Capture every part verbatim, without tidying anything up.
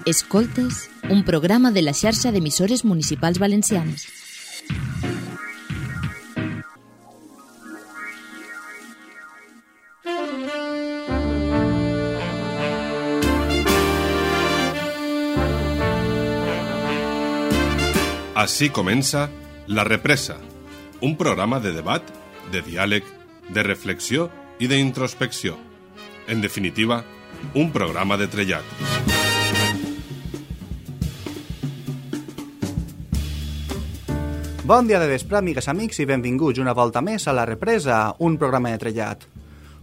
Escoltes, un programa de la xarxa d'emissores municipals valencianes. Así comença La Represa, un programa de debat, de diàleg, de reflexió i d'introspecció. En definitiva, un programa de trellat. Bon dia de vespre, amigues, amics, i benvinguts una volta més a La Represa, un programa de trellat.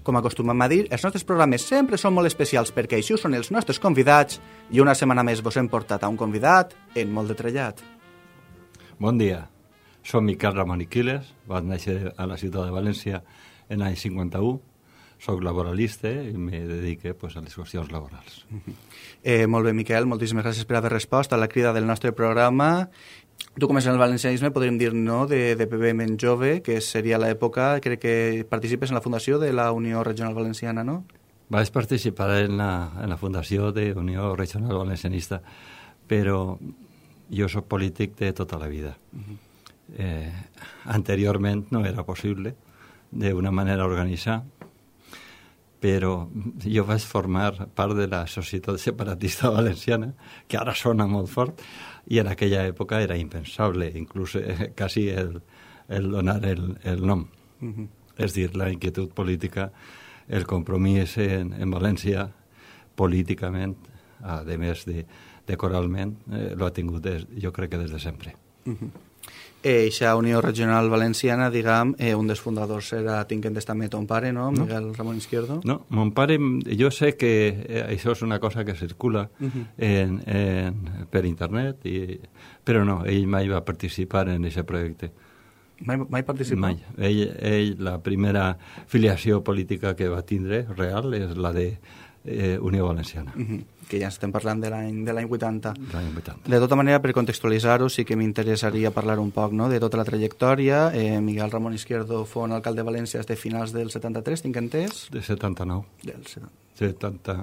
Com acostumem a dir, els nostres programes sempre són molt especials perquè així són els nostres convidats i una setmana més vos hem portat a un convidat en molt de trellat. Bon dia, som Miquel Ramon i Quiles, vaig néixer a la ciutat de València en l'any cinquanta-u, soc laboralista i me dedique pues, a les qüestions laborals. Eh, molt bé, Miquel, moltíssimes gràcies per haver respost a la crida del nostre programa. Tu comences en el valencianisme, podríem dir, no?, de, de bebè ben jove, que seria l'època, crec que participes en la fundació de la Unió Regional Valenciana, no? Vaig participar en la, en la fundació de Unió Regional Valencianista, però jo soc polític de tota la vida. Uh-huh. eh, anteriorment no era possible d'una manera organitzada, però jo vaig formar part de la Societat Separatista Valenciana, que ara sona molt fort, i en aquella època era impensable, inclús eh, quasi el, el donar el, el nom. Uh-huh. És dir, la inquietud política, el compromís en, en València, políticament, a més de decoralment, eh, lo ha tingut, des, jo crec que des de sempre. Uh-huh. Eixa Unió Regional Valenciana, diguem, eh, un dels fundadors era, tinc entès també, ton pare, no? no? Miguel Ramon Izquierdo. No, mon pare, jo sé que eh, això és una cosa que circula uh-huh. en, en, per internet, i, però no, ell mai va participar en aquest projecte. Mai, mai participar? Mai. Ell, ell, la primera filiació política que va tindre, real, és la de eh, Unió Valenciana. Uh-huh. Que ja estem parlant de l'any de l'any vuitanta. L'any vuitanta. De tota manera, per contextualitzar-ho, sí que m'interessaria parlar un poc, no?, de tota la trajectòria. Eh, Miguel Ramon Izquierdo fou alcalde de València des de finals del setanta-tres, tinc entès? De setanta-nou. Del setanta. setanta...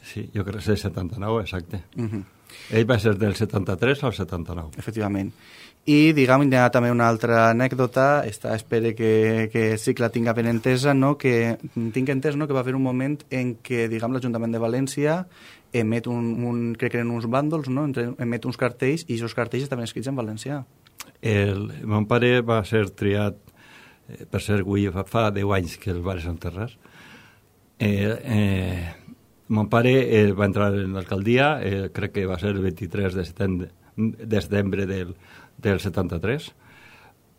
Sí, jo crec que és setanta-nou, exacte. Uh-huh. Ell va ser del setanta-tres al setanta-nou. Efectivament. I, diguem, hi ha també una altra anècdota, esta espero que, que sí que la tinga ben entesa, no?, que tinc entès, no?, que va haver un moment en què, diguem, l'Ajuntament de València emet un, un crec que eren uns bàndols, no?, emet uns cartells, i aquests cartells estaven escrits en valencià. El, mon pare va ser triat, eh, per ser avui fa, fa deu anys que el va enterrar. Eh, eh, mon pare eh, va entrar en l'alcaldia, eh, crec que va ser el vint-i-tres de setembre, de setembre del del setanta-tres,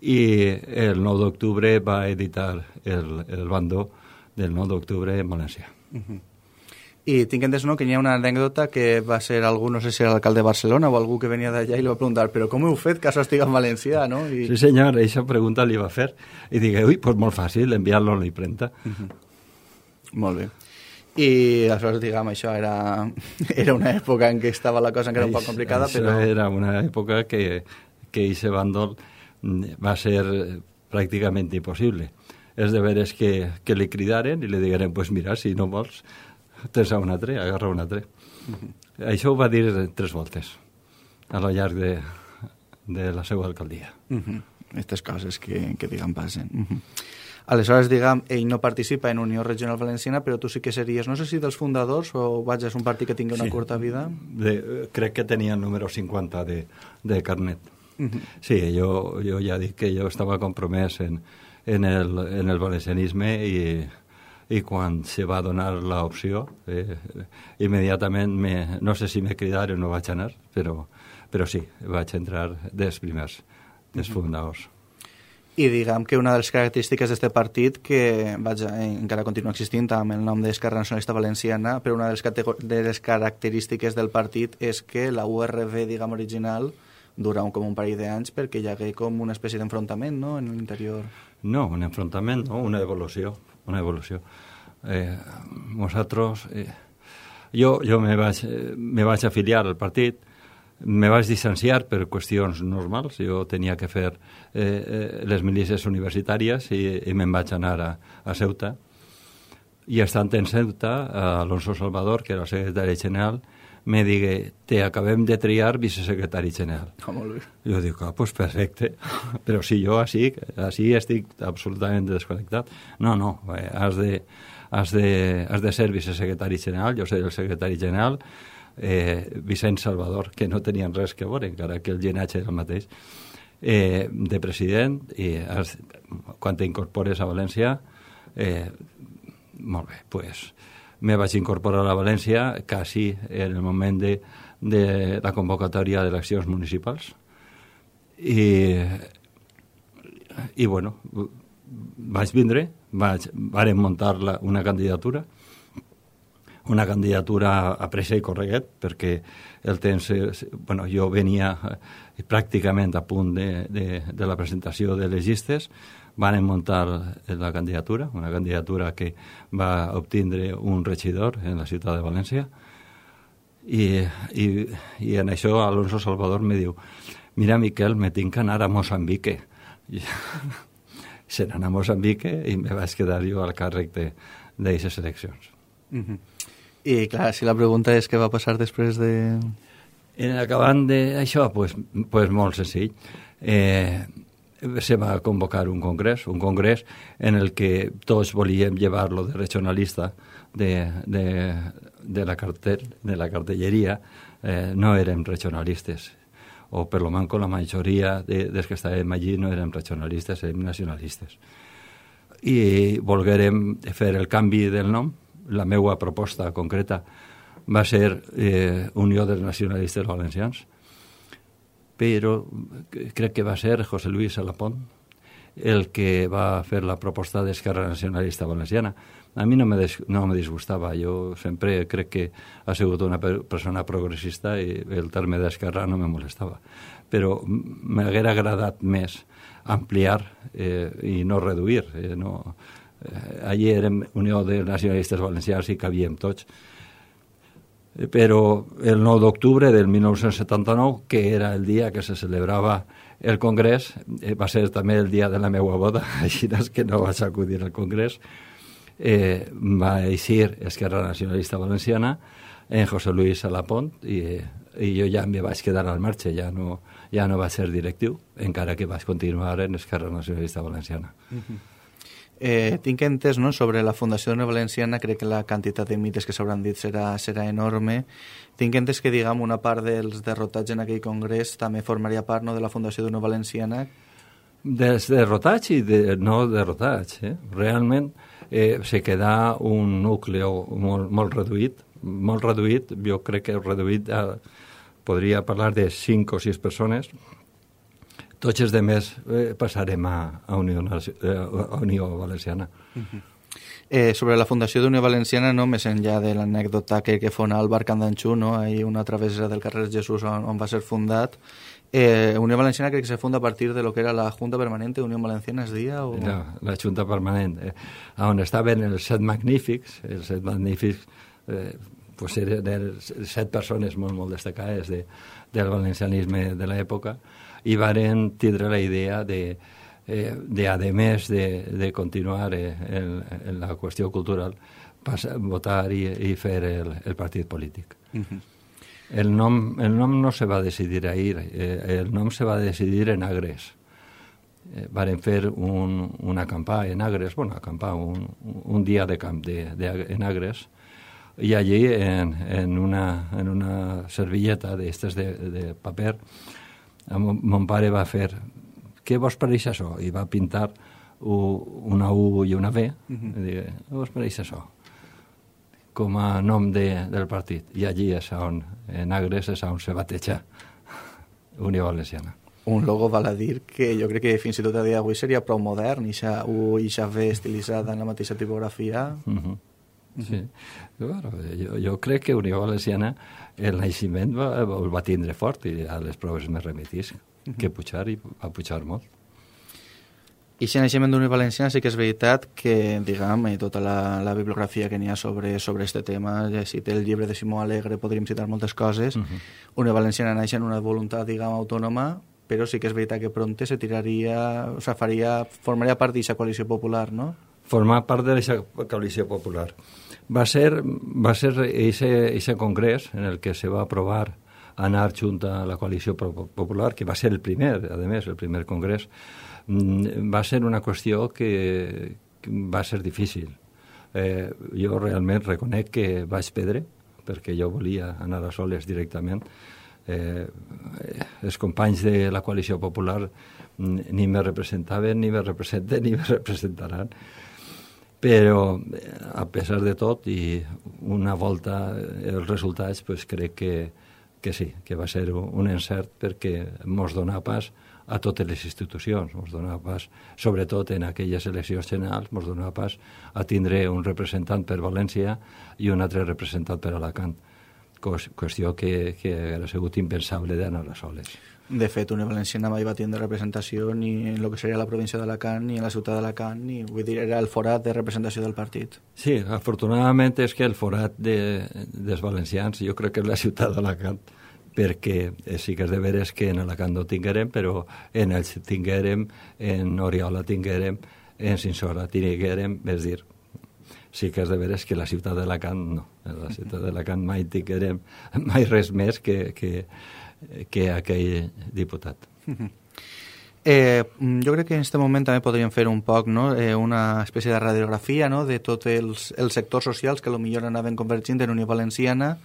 i el nou d'octubre va editar el, el bando del nou d'octubre en València. Uh-huh. I tinc entès, no?, que hi ha una anècdota que va ser algú, no sé si era l'alcalde de Barcelona o algú que venia d'allà i li va preguntar, però com heu fet que això estigui en valencià, no? I... Sí, senyor, aquesta pregunta li va fer i digué, ui, pues molt fàcil, enviar-lo a la impremta. Uh-huh. Molt bé. I aleshores, diguem, això era, era una època en què estava la cosa encara un poc complicada, això però... era una època que, que aquest bàndol va ser pràcticament impossible. És de veres que, que li cridaren i li digueren, pues mira, si no vols, tens un altre, agarra un altre. Uh-huh. Això ho va dir tres voltes a lo llarg de, de la seva alcaldia. Uh-huh. Aquestes coses que, que diguem, passen. Uh-huh. Aleshores, diguem, ell no participa en Unió Regional Valenciana, però tu sí que series, no sé si dels fundadors o vaig, és un partit que tingui una sí. curta vida? De, crec que tenia el número cinquanta de, de carnet. Uh-huh. Sí, jo, jo ja dic que jo estava compromès en, en, el, en el valencianisme i, i quan se va donar l'opció, eh, immediatament, me, no sé si me cridaren o no vaig anar, però, però sí, vaig entrar dels primers, dels uh-huh. fundadors. I diguem que una de les característiques d'aquest partit, que vaja, encara continua existint amb el nom d'Esquerra Nacionalista Valenciana, però una de les, de les característiques del partit és que la U R V, diguem, original, dura un, com un parell d'anys perquè hi hagué com una espècie d'enfrontament, no?, en l'interior. No, un enfrontament, no, una evolució, una evolució. Eh, nosaltres, eh, jo, jo me vaig, me vaig afiliar al partit, me vaig distanciar per qüestions normals, jo tenia que fer eh, eh, les milícies universitàries i, i me'n vaig anar a, a Ceuta, i estant en Ceuta, Alonso Salvador, que era el secretari general, me digue, te acabem de triar vicesecretari general. Oh, molt bé. Jo dic, ah, pues perfecte, però si jo així, així estic absolutament desconnectat. No, no, eh, has de, has de, has de ser vicesecretari general, jo soy el secretari general, eh, Vicent Salvador, que no tenien res que veure, encara que el llinatge era el mateix, eh, de president, i has, quan t'incorpores a València, eh, molt bé, pues me vaig incorporar a València quasi en el moment de, de la convocatòria d'eleccions municipals i, i bueno, vaig vindre, vaig, vàrem muntar la, una candidatura una candidatura a pressa i correguet, perquè el temps, bueno, jo venia pràcticament a punt de, de, de la presentació de les llistes, van muntar la candidatura, una candidatura que va obtindre un regidor en la ciutat de València, i, i, i en això Alonso Salvador me diu, mira, Miquel, me tinc que anar a Moçambique. I, se n'anà a Moçambique i me vaig quedar jo al càrrec d'aquestes eleccions. Mm-hmm. I clar, si la pregunta és què va passar després de... En acabant d'això, pues, pues molt senzill. Eh, se va convocar un congrés, un congrés en el que tots volíem llevar-lo de regionalista de, de, de, la cartel, de la cartelleria, eh, no érem regionalistes, o per lo manco la majoria de, dels que estàvem allí no érem regionalistes, érem nacionalistes. I volguérem fer el canvi del nom. La meva proposta concreta va ser eh, Unió dels Nacionalistes Valencians, però crec que va ser José Luis Alapont el que va fer la proposta d'Esquerra Nacionalista Valenciana. A mi no me, des, no me disgustava, jo sempre crec que ha sigut una persona progressista i el terme d'esquerra no me molestava, però m'haguera agradat més ampliar eh, i no reduir, eh, no... Allí érem Unió de Nacionalistes Valencians i cabíem tots. Però el nou d'octubre del mil nou-cents setanta-nou, que era el dia que se celebrava el Congrés, va ser també el dia de la meva boda, així que no vaig acudir al Congrés, eh, va eixir Esquerra Nacionalista Valenciana en José Luis Alapont i, i jo ja me vaig quedar al marge, ja no, ja no vaig ser directiu, encara que vaig continuar en Esquerra Nacionalista Valenciana. Uh-huh. Eh, tinc entès, no?, sobre la Fundació d'Unió Valenciana, crec que la quantitat de mites que s'hauran dit serà, serà enorme. Tinc entès que, diguem, una part dels derrotats en aquell congrés també formaria part, no?, de la Fundació d'Unió Valenciana. Dels derrotats i de, no derrotats, eh? Realment eh, se queda un núcleo molt, molt reduït, molt reduït, jo crec que reduït a, podria parlar de cinc o sis persones. Tots els demés eh, passarem a, a, Unió, a Unió Valenciana. Uh-huh. eh, sobre la Fundació d'Unió Valenciana, no, més enllà de l'anècdota que, que fona el bar Can d'Anxú, no, hi ha una travessera del carrer Jesús on, on va ser fundat. Eh, Unió Valenciana crec que se funda a partir de lo que era la Junta Permanente Unió Valenciana, es dia? O... La, la Junta Permanent, eh, on estaven els set magnífics, els set magnífics, eh, pues eren els set persones molt, molt destacades de, del valencianisme de l'època, i varen tindre la idea de, eh, de a més de, de continuar eh, en, en la qüestió cultural, passar, votar i, i fer el, el partit polític. Uh-huh. El nom, el nom no se va decidir ahir, eh, el nom se va decidir en Agres. Eh, varen fer un, una acampar en Agres, bueno, acampar, un, un dia de camp de, de, en Agres, i allí en, en, una, en una servilleta d'estes de, de paper, mon, mon pare va fer, què vos pareix això? I va pintar u, una U i una V, uh-huh. I digue, què vos pareix això? Com a nom de, del partit. I allí és on, en Agres, és on se bateja Unió Valenciana. Un logo, val a dir, que jo crec que fins i tot a dia d'avui seria prou modern, i xa U i xa V estilitzada en la mateixa tipografia. Uh-huh. Sí, bueno, jo, jo crec que Unió Valenciana el naixement va, el va tindre fort i a les proves més remetís que pujar, i va pujar molt. I si naixement d'Unió Valenciana sí que és veritat que, diguem, tota la, la bibliografia que n'hi ha sobre, sobre este tema, ja si té el llibre de Simó Alegre, podríem citar moltes coses. Uh-huh. Unió Valenciana naix en una voluntat, diguem, autònoma, però sí que és veritat que prompte se tiraria, o sea, faria, formaria part d'aquesta coalició popular, no? formar part de la coalició popular. Va ser, va ser ese congrés en el que se va aprovar anar junta a la coalició popular, que va ser el primer, a més, el primer congrés, va ser una qüestió que, que va ser difícil. Eh, jo realment reconec que vaig perdre, perquè jo volia anar a soles directament. Eh, els companys de la coalició popular ni me representaven, ni me representen, ni me representaran. Però, a pesar de tot, i una volta els resultats, pues, crec que, que sí, que va ser un encert perquè mos dona pas a totes les institucions, mos dona pas, sobretot en aquelles eleccions generals, mos dona pas a tindre un representant per València i un altre representant per Alacant. Qüestió que, que hauria sigut impensable d'anar a soles. De fet, Unió Valenciana mai va tindre representació ni en el que seria la província d'Alacant, ni en la ciutat d'Alacant, ni, vull dir, era el forat de representació del partit. Sí, afortunadament és que el forat de, dels valencians jo crec que és la ciutat d'Alacant, perquè sí que és de veres que en Alacant no tinguérem, però en Elx tinguérem, en Oriola tinguérem, en Sinsora tinguérem, és dir, sí que és de veres que la ciutat d'Alacant no. En la ciutat d'Alacant mai tinguérem mai res més que, que, que aquell diputat. Eh, jo crec que en aquest moment també podríem fer un poc, no? eh, una espècie de radiografia, no? de tots els, els sectors socials que potser anaven convergint en Unió Valenciana,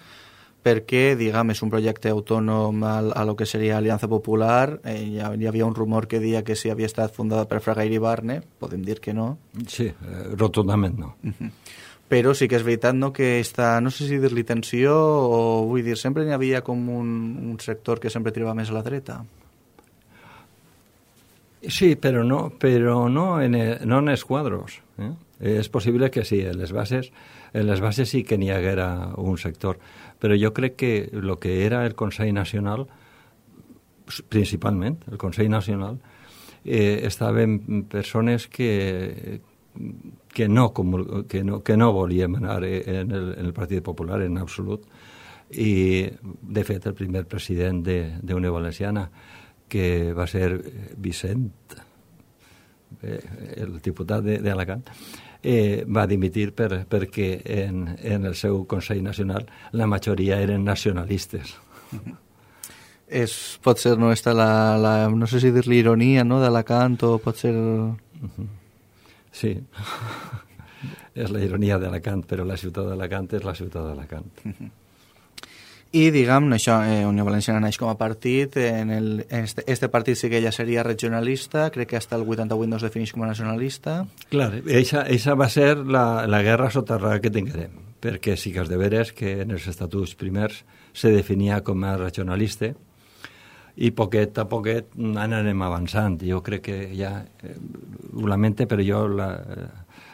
perquè, diguem, és un projecte autònom a, a lo que seria Aliança Popular. Eh, hi, hi havia un rumor que deia que si havia estat fundada per Fraga Iribarne, podem dir que no. Sí, eh, rotundament no. Uh-huh. Però sí que és veritat, no?, que està, no sé si dir-li tensió o, vull dir, sempre n'hi havia com un, un sector que sempre tirava més a la dreta. Sí, però no, però no en, no en els quadros. Eh? És possible que sí, en les bases, en les bases sí que n'hi haguera un sector, però jo crec que el que era el Consell Nacional, principalment el Consell Nacional, eh, estaven persones que, que, no, que, no, que no volíem anar en el, en el Partit Popular en absolut, i de fet el primer president d'Unió Valenciana, que va ser Vicent, eh, el diputat d'Alacant, eh, va dimitir per, perquè en, en el seu Consell Nacional la majoria eren nacionalistes. És, pot ser, no, està la, la, no sé si dir-li ironia, no?, d'Alacant, o pot ser... Uh-huh. Sí, és la ironia d'Alacant, però la ciutat d'Alacant és la ciutat d'Alacant. Uh-huh. I, diguem, això, eh, Unió Valenciana naix com a partit, en el, este, este partit sí que ja seria regionalista, crec que hasta el vuitanta-vuit no es defineix com a nacionalista. Clar, eixa, eixa va ser la, la guerra soterrada que tinguérem, perquè sí que és de veres que en els estatuts primers se definia com a regionalista, i poquet a poquet anarem avançant. Jo crec que ja, eh, ho lamente, però jo la...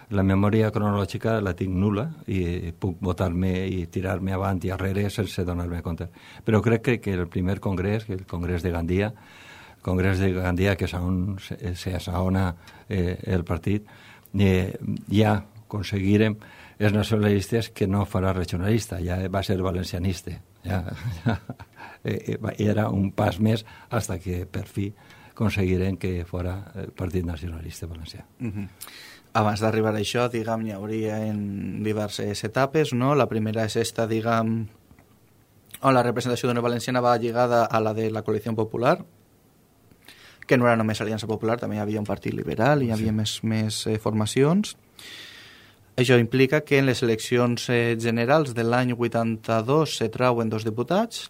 La memòria cronològica la tinc nul·la i puc votar-me i tirar-me avant i arrere sense donar-me compte. Però crec que, que el primer congrés, el congrés de Gandia, el congrés de Gandia, que és on s'assaona eh, el partit, eh, ja aconseguirem els nacionalistes que no farà regionalista, ja va ser valencianista. Ja, ja, eh, era un pas més fins que per fi aconseguirem que fora el Partit Nacionalista Valencià. Uh-huh. Abans d'arribar a això, diguem, hi hauria en diverses etapes, no? La primera és esta, diguem, on la representació d'Unió Valenciana va lligada a la de la Coalició Popular, que no era només Aliança Popular, també hi havia un partit liberal, hi havia sí. més, més eh, formacions. Això implica que en les eleccions eh, generals de l'any vuitanta-dos se trauen dos diputats,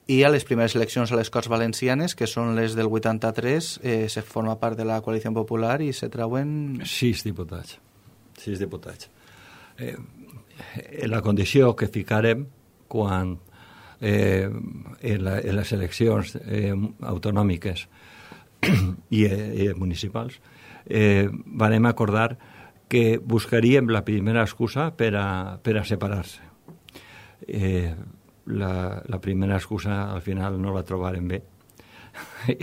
i a les primeres eleccions a les Corts Valencianes, que són les del vuitanta-tres, eh, se forma part de la Coalició Popular i se trauen... Sis diputats. Sis diputats. Eh, la condició que ficarem quan eh, en, la, en les eleccions eh, autonòmiques i, eh, municipals eh, vam acordar que buscaríem la primera excusa per a, per a separar-se. Eh, La, la primera excusa al final no la trobarem bé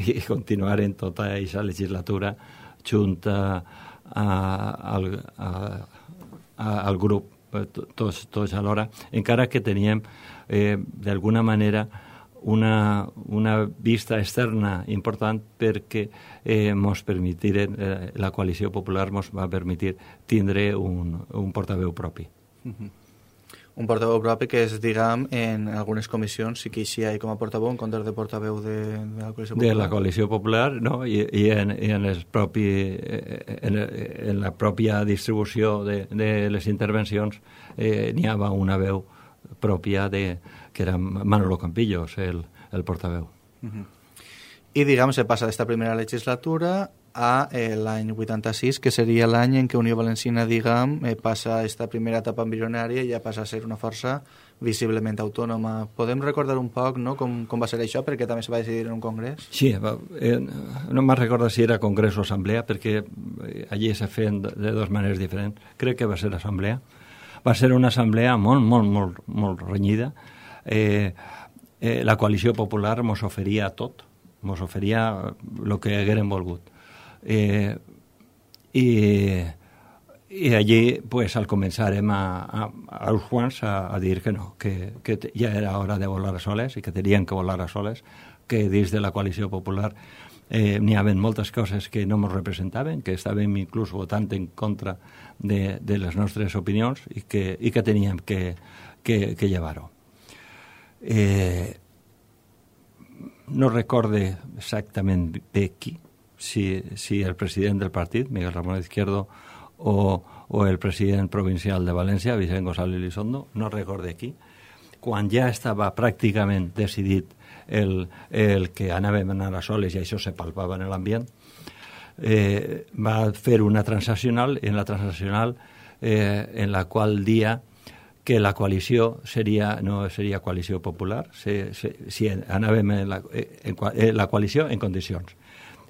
i continuarem tota aquesta legislatura junta a, al, a, a, al grup tots, tots alhora, encara que teníem eh, d'alguna manera una, una vista externa important perquè eh, mos permitiren, eh, la coalició popular mos va permetir tindre un, un portaveu propi. Uh-huh. Un portaveu propi que és, diguem, en algunes comissions sí que hi ha com a portaveu en comptes de portaveu de, de la coalició popular. De la coalició popular, no, i, i, en, i en, el propi, en, en la pròpia distribució de, de les intervencions eh, n'hi havia una veu pròpia de, que era Manolo Campillos, el, el portaveu. Uh-huh. I, diguem, se passa d'esta primera legislatura a eh, l'any vuitanta-sis, que seria l'any en què Unió Valenciana, diguem, eh, passa esta primera etapa embrionària i ja passa a ser una força visiblement autònoma. Podem recordar un poc, no?, com, com va ser això, perquè també se va decidir en un congrés? Sí, eh, no me'n recordo si era congrés o assemblea, perquè allí se feien de dues maneres diferents. Crec que va ser assemblea. Va ser una assemblea molt, molt, molt, molt renyida. Eh, eh, la coalició popular mos oferia tot, mos oferia el que hagueren volgut. Eh, i, i allí pues, al començarem a, a, a uns quants a, a dir que no, que, que ja era hora de volar a soles i que tenien que volar a soles, que dins de la coalició popular eh, n'hi havia moltes coses que no ens representaven, que estàvem inclús votant en contra de, de les nostres opinions i que, i que teníem que, que, que llevar-ho. Eh, no recorde exactament de qui, Si, si el president del partit, Miguel Ramón Izquierdo, o, o el president provincial de València, Vicent González Elizondo, no recorde qui, quan ja estava pràcticament decidit el, el que anàvem a anar a soles i això se palpava en l'ambient, eh, va fer una transaccional, en la transaccional eh, en la qual dia que la coalició seria, no seria coalició popular, se, se, si anàvem en la, en, en la coalició en condicions.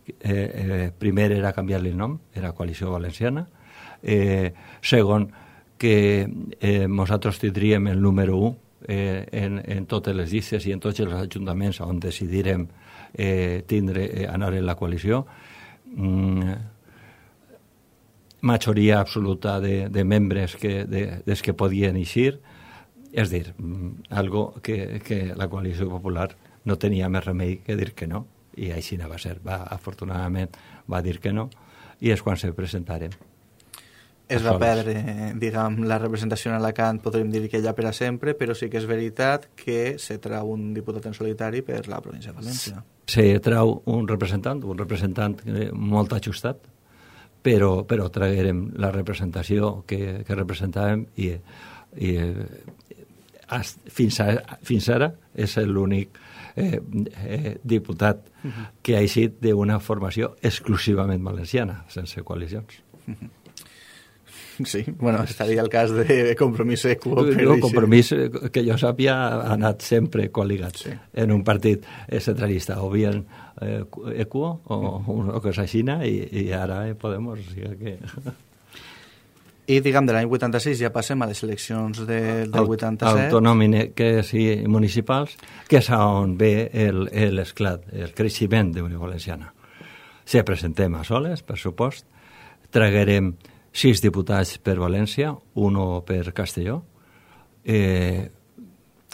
Eh, eh, primer era canviar-li el nom, era Coalició Valenciana. Eh, segon, que eh, nosaltres tindríem el número u eh, en, en totes les llistes i en tots els ajuntaments on decidirem eh, tindre, eh, anar en la coalició. Mm, majoria absoluta de, de membres que, de, des que podien eixir, és dir, mm, algo que, que la coalició popular no tenia més remei que dir que no. I així no va ser. Va, afortunadament va dir que no i és quan se presentarem. Es va perdre, diguem, la representació en Alacant, podríem dir que ja per a sempre, però sí que és veritat que se trau un diputat en solitari per la província de València. Se trau un representant, un representant molt ajustat, però, però traguérem la representació que, que representàvem i, i fins, a, fins ara és l'únic Eh, eh, diputat uh-huh. que ha eixit d'una formació exclusivament valenciana, sense coalicions. Uh-huh. Sí, bueno, estaria el cas de Compromís Equo. El Compromís, que jo sàpia, ha anat sempre col·ligat sí. en un partit centralista, o bien eh, Equo o, o cosa així, i, i ara eh, Podemos, o sigui que... I, diguem, de l'any vuitanta-sis ja passem a les eleccions de, del vuitanta-set. Autonòmiques i municipals, que és on ve l'esclat, el, el creixement d'Unió Valenciana. Se presentem a soles, per supost, traguerem sis diputats per València, uno per Castelló, eh,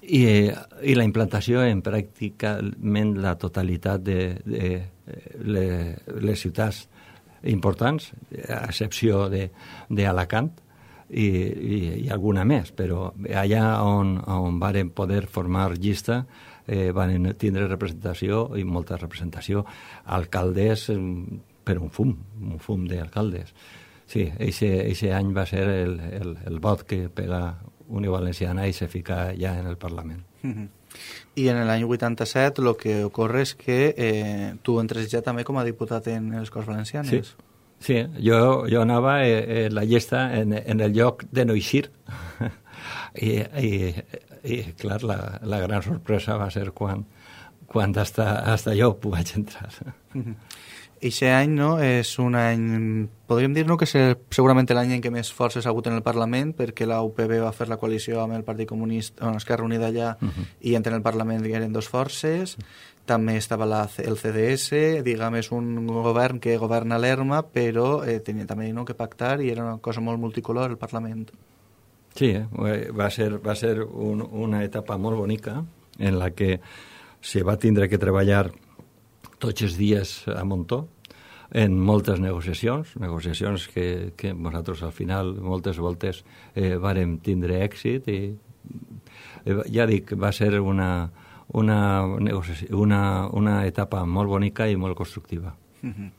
i, i la implantació en pràcticament la totalitat de, de, de les, les ciutats importants, a excepció d'Alacant i, i, i alguna més, però allà on, on varen poder formar llista eh, van tindre representació i molta representació. Alcaldes per un fum, un fum d'alcaldes. Sí, eixe any va ser el, el, el vot que pega Unió Valenciana i se fica ja en el Parlament. Mm-hmm. I en l'any vuitanta-set el que ocorre és que eh, tu entres ja també com a diputat en les Corts Valencianes. Sí, sí. Jo, jo anava eh, en la llista en, en el lloc de no eixir. I, i, i clar, la, la gran sorpresa va ser quan, quan hasta, hasta jo vaig entrar. Eixe any, no, és un any, podríem dir, no, que és segurament l'any en què més forces ha hagut en el Parlament, perquè la U P B va fer la coalició amb el Partit Comunista, amb l'Esquerra Unida allà, uh-huh. i entre el Parlament hi eren dos forces. També estava la, el C D S, diguem, és un govern que governa l'Erma, però eh, tenia també, no, que pactar i era una cosa molt multicolor el Parlament. Sí, eh? va ser, va ser un, una etapa molt bonica en la que se va tindre que treballar tots els dies a muntó en moltes negociacions, negociacions que, que nosaltres al final moltes voltes eh, vàrem tindre èxit i eh, ja dic, va ser una, una, una, una etapa molt bonica i molt constructiva. Mm-hmm.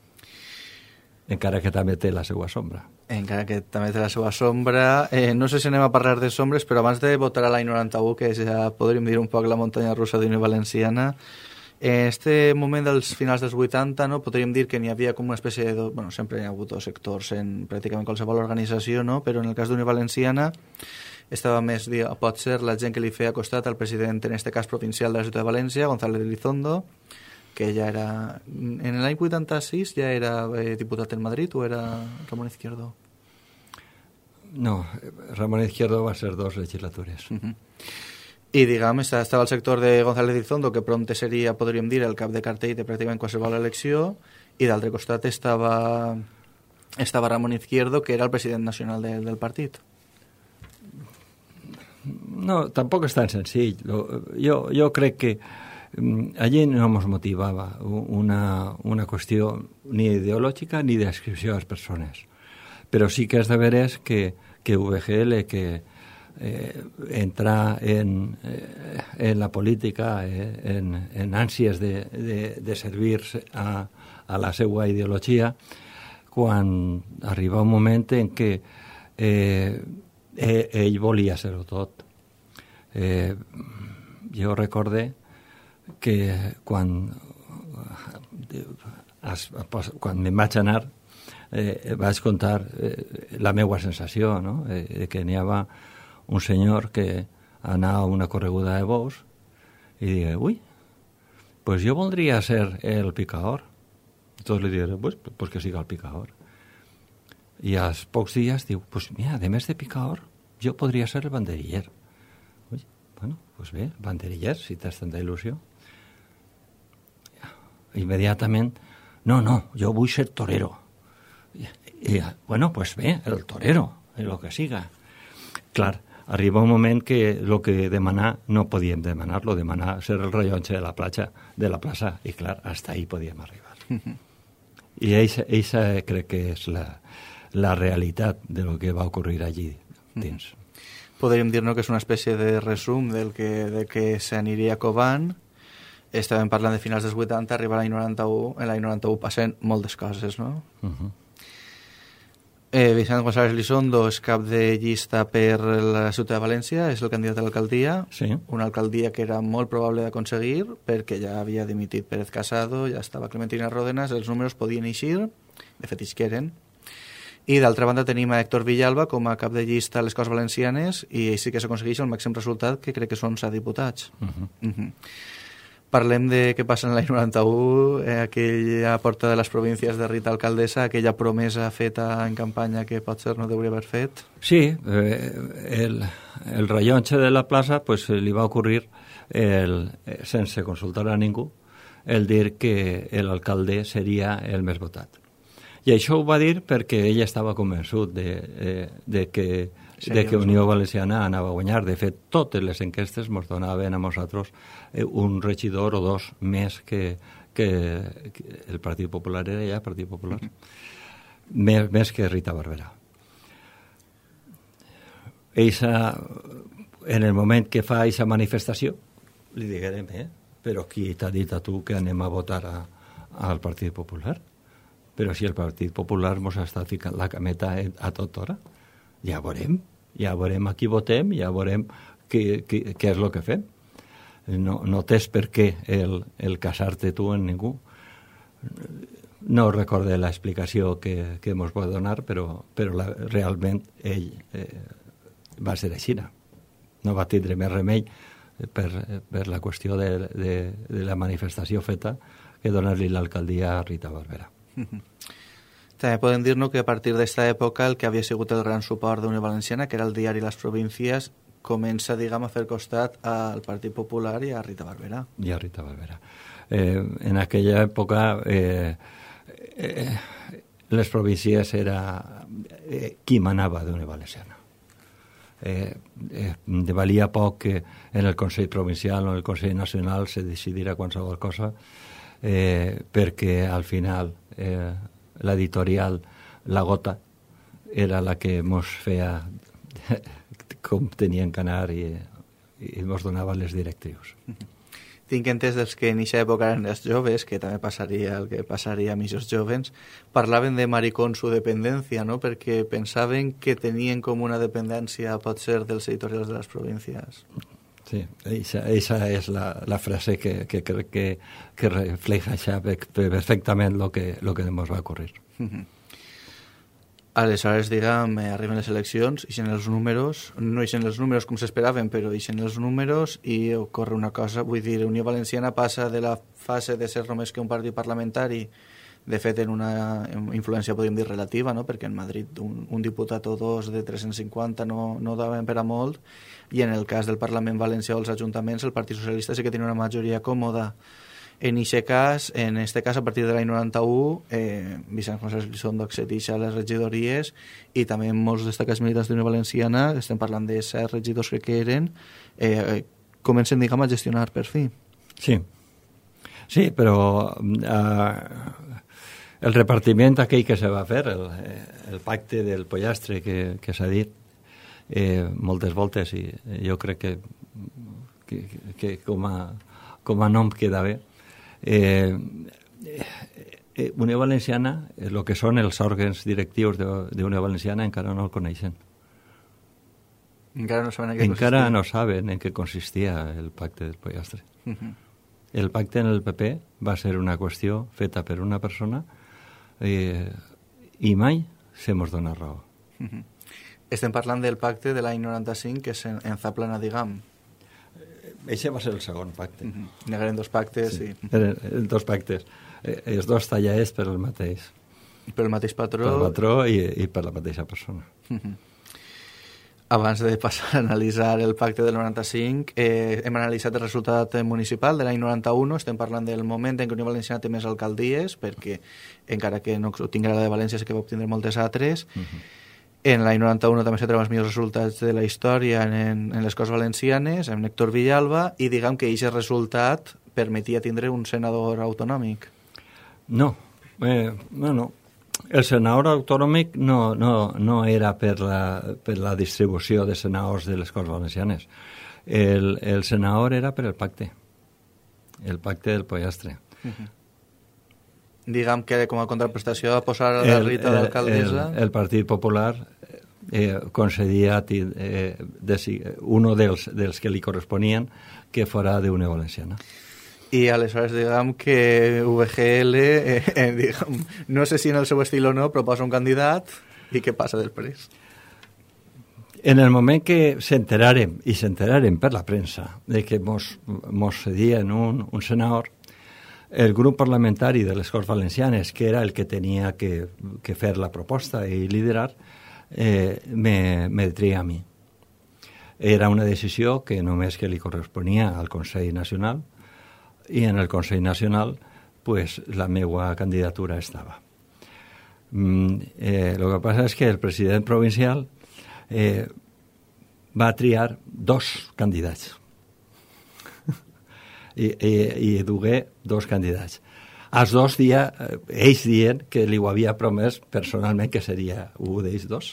Encara que també té la seva sombra. Encara que també té la seva sombra. Eh, no sé si anem a parlar de sombres, però abans de votar a l'any noranta-u, que ja podríem dir un poc la muntanya russa d'Unió Valenciana, en este moment dels finals dels vuitanta, no, podríem dir que n'hi havia com una espècie de... Bueno, sempre hi ha hagut dos sectors en pràcticament qualsevol organització, no? Però en el cas d'Unió Valenciana estava més, pot ser, la gent que li feia costat al president, en este cas provincial de la ciutat de València, González Elizondo, que ja era... En l'any vuitanta-sis ja era eh, diputat en Madrid o era Ramon Izquierdo? No, Ramon Izquierdo va ser dos legislatures. Uh-huh. I, diguem, estava el sector de González Elizondo, que prompte seria, podríem dir, el cap de cartell de pràcticament qualsevol elecció, i d'altre costat estava, estava Ramon Izquierdo, que era el president nacional de, del partit. No, tampoc és tan senzill. Jo, jo crec que allí no ens motivava una, una qüestió ni ideològica ni d'adscripció a les persones. Però sí que és de veres que, que U V G L, que eh, entrar en, eh, en la política, eh, en, en ànsies de, de, de servir-se a, a la seva ideologia, quan arriba un moment en què eh, ell volia ser-ho tot. Eh, jo recorde que quan, quan me'n vaig anar eh, vaig contar eh, la meva sensació, no? Eh, que n'hi havia un senyor que anava a una correguda de bous i digué, ui, pues jo voldria ser el picador. I tots li digueren, pues, pues que siga el picador. I als pocs dies diu, pues mira, a més de picador, jo podria ser el banderiller. Ui, bueno, pues bé, banderiller, si tens tanta il·lusió. Immediatament, no, no, jo vull ser torero. I, i bueno, pues bé, el torero, el que siga. Clar, arriba un moment que el que demanar no podíem demanar-lo, demanar ser el rellotge de la platja, de la plaça, i clar, hasta ahí podíem arribar. I eixa crec que és la, la realitat de lo que va ocurrir allí dins. Podríem dir-nos que és una espècie de resum del que, de que s'aniria covant. Estàvem parlant de finals dels vuitanta, arriba l'any noranta-u, en l'any noranta-u passen moltes coses, no? Uh-huh. eh, Vicent González Elizondo és cap de llista per la ciutat de València, és el candidat a l'alcaldia, sí. Una alcaldia que era molt probable d'aconseguir perquè ja havia dimitit Pérez Casado, ja estava Clementina Ródenas, els números podien eixir, de fet eixeren. I d'altra banda tenim a Héctor Villalba com a cap de llista a les Corts Valencianes i sí que s'aconsegueix el màxim resultat, que crec que són set diputats. Uh-huh. Uh-huh. Parlem de què passa en l'any noranta-u, eh, aquella porta de les províncies de Rita Alcaldessa, aquella promesa feta en campanya que potser no hauria haver fet. Sí, eh, el, el rellotge de la plaça pues, li va ocurrir, el, sense consultar a ningú, el dir que l'alcalde seria el més votat. I això ho va dir perquè ell estava convençut de, de, de que de que Unió Valenciana anava a guanyar. De fet, totes les enquestes ens donaven a nosaltres un regidor o dos més que, que, que el Partit Popular era ja Partit Popular, més, més que Rita Barberà. Eixa, en el moment que fa aquesta manifestació, li diguem, eh, però qui t'ha dit a tu que anem a votar a, al Partit Popular? Però si el Partit Popular ens està ficant la cameta a tota hora, ja veurem, ja veurem a qui votem, ja veurem què, què, què és el que fem. No, no tens per què el, el casar-te tu en ningú. No recorde l'explicació que, que ens va donar, però, però la, realment ell eh, va ser així. No va tindre més remei per, per la qüestió de, de, de la manifestació feta que donar-li l'alcaldia a Rita Barberà. També podem dir-nos que a partir d'esta època el que havia sigut el gran suport d'Unió Valenciana, que era el diari Les Províncies, comença, diguem, a fer costat al Partit Popular i a Rita Barberà. I a Rita Barberà. Eh, en aquella època eh, eh, Les Províncies era eh, qui manava d'Unió Valenciana. eh, eh, valia poc que en el Consell Provincial o en el Consell Nacional se decidirà qualsevol cosa, eh, perquè al final eh, l'editorial La Gota era la que mos feia com tenien que anar i, i mos donava les directrius. Tinc entès dels que en aquesta època eren els joves, que també passaria el que passaria amb aquests jovens, parlaven de maricón su dependència, no? Perquè pensaven que tenien com una dependència, pot ser, dels editorials de les províncies. Sí, esa, esa és la, la frase que, que crec que, que refleja perfectament lo que, lo que ens va ocurrir. Uh-huh. Aleshores, diguem, eh, arriben les eleccions, ixen els números, no ixen els números com s'esperaven, però ixen els números i ocorre una cosa, vull dir, Unió Valenciana passa de la fase de ser només que un partit parlamentari, de fet en una influència, podríem dir, relativa, no? Perquè en Madrid un, un diputat o dos de tres-cents cinquanta no, no daven per a molt, i en el cas del Parlament Valencià o els ajuntaments, el Partit Socialista sí que tenia una majoria còmoda. En aquest cas, en este cas, a partir de l'any noranta-u, eh, Vicent José Elizondo accedeix a les regidories i també molts destacats militants d'Unió Valenciana, estem parlant de set regidors que eren, eh, comencen, diguem, a gestionar per fi. Sí, sí, però eh, el repartiment aquell que se va fer, el, el pacte del pollastre que, que s'ha dit eh, moltes voltes, i jo crec que, que, que com, a, com a nom queda bé. Eh, eh, Unió Valenciana, el que són els òrgans directius d'Unió Valenciana, encara no el coneixen. Encara no saben en què encara consistia. no saben en què consistia el pacte del pollastre. Uh-huh. El pacte en el P P va ser una qüestió feta per una persona eh, i mai se mos dona raó. Uh-huh. Estem parlant del pacte de l'any noranta-cinc que s'enzaplana, diguem. Eixe va ser el segon pacte. Uh-huh. Negaren dos pactes, sí. sí. Eren dos pactes. Eh, els dos tallers per el mateix. Per el mateix patró. Per el patró i, i per la mateixa persona. Uh-huh. Abans de passar a analitzar el pacte del noranta-cinc, eh, hem analitzat el resultat municipal de l'any noranta-u. Estem parlant del moment en què Unió Valenciana té més alcaldies, perquè encara que no obtingui la de València, sí que va obtindre moltes altres. Uh-huh. En l'any noranta-u també se troben els millors resultats de la història en, en les Corts Valencianes, amb Héctor Villalba, i diguem que aquest resultat permetia tindre un senador autonòmic. No, eh, no, no. El senador autonòmic no, no, no era per la, per la distribució de senadors de les Corts Valencianes. El, el senador era per el pacte, el pacte del pollastre. Uh-huh. Diguem que com a contraprestació a posar la Rita d'alcaldessa... El, el Partit Popular eh, concedia eh, uno dels, dels que li corresponien que fora d'Unió Valenciana. I aleshores, diguem que U V G L, eh, eh, diguem, no sé si en el seu estil o no, proposa un candidat i què passa després? En el moment que s'enteraren, i s'enteraren per la premsa, de que mos, mos cedien un, un senador, el grup parlamentari de les Corts Valencianes, que era el que tenia que, que fer la proposta i liderar, eh, me, me tria a mi. Era una decisió que només que li corresponia al Consell Nacional, i en el Consell Nacional pues, la meva candidatura estava. Mm, eh, lo que passa és que el president provincial eh, va triar dos candidats. I, i, i dugué dos candidats. Els dos dia, ells dient que li ho havia promès personalment que seria un d'ells dos.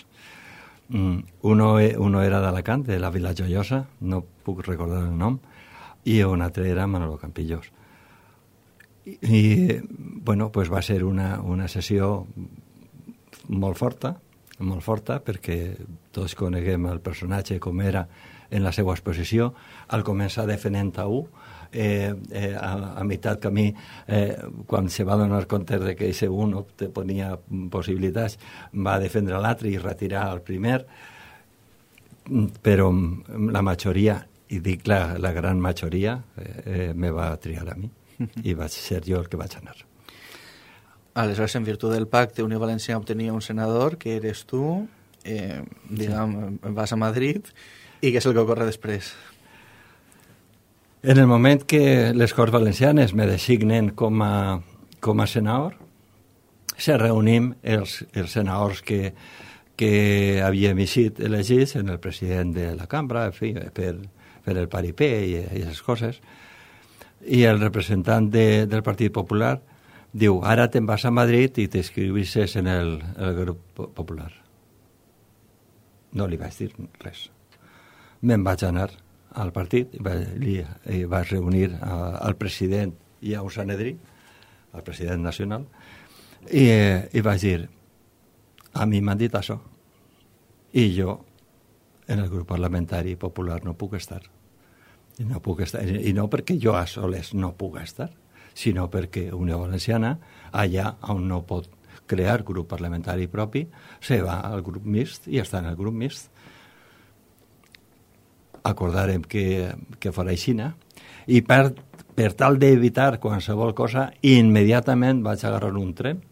Mm, uno, uno era d'Alacant, de la Vila Joiosa, no puc recordar el nom, i un altre era Manolo Campillos. I, i bueno, pues va ser una, una sessió molt forta, molt forta, perquè tots coneguem el personatge com era en la seva exposició. Al començar defendent a un, Eh, eh, a, a meitat camí, eh, quan se va donar compte de que ese un tenia possibilitats, va defendre l'altre i retirar el primer, però la majoria, i dic la, la gran majoria, eh, me va triar a mi i vaig ser jo el que vaig anar. Aleshores, en virtut del pacte, Unió Valenciana obtenia un senador, que eres tu, eh, diguem, sí. Vas a Madrid, i què és el que ocorre després? En el moment que les Corts Valencianes me designen com a, com a senador, se reunim els, els senadors que, que havíem eixit elegits en el president de la cambra, en fi, per, per el paripé i, i aquestes coses. I el representant de, del Partit Popular diu, ara te'n vas a Madrid i t'inscriuixes en el, el grup popular. No li vaig dir res. Me'n vaig anar al partit i vaig, li, i vaig reunir a, al president i a un Sanedrí, al president nacional, i, i vaig dir, a mi m'han dit això, i jo en el grup parlamentari popular no puc estar. I no puc estar, i no perquè jo a soles no puc estar, sinó perquè Unió Valenciana, allà on no pot crear grup parlamentari propi, se va al grup mixt i està en el grup mixt. Acordarem que, que farà aixina, i per, per tal d'evitar qualsevol cosa, immediatament vaig agarrar un tren,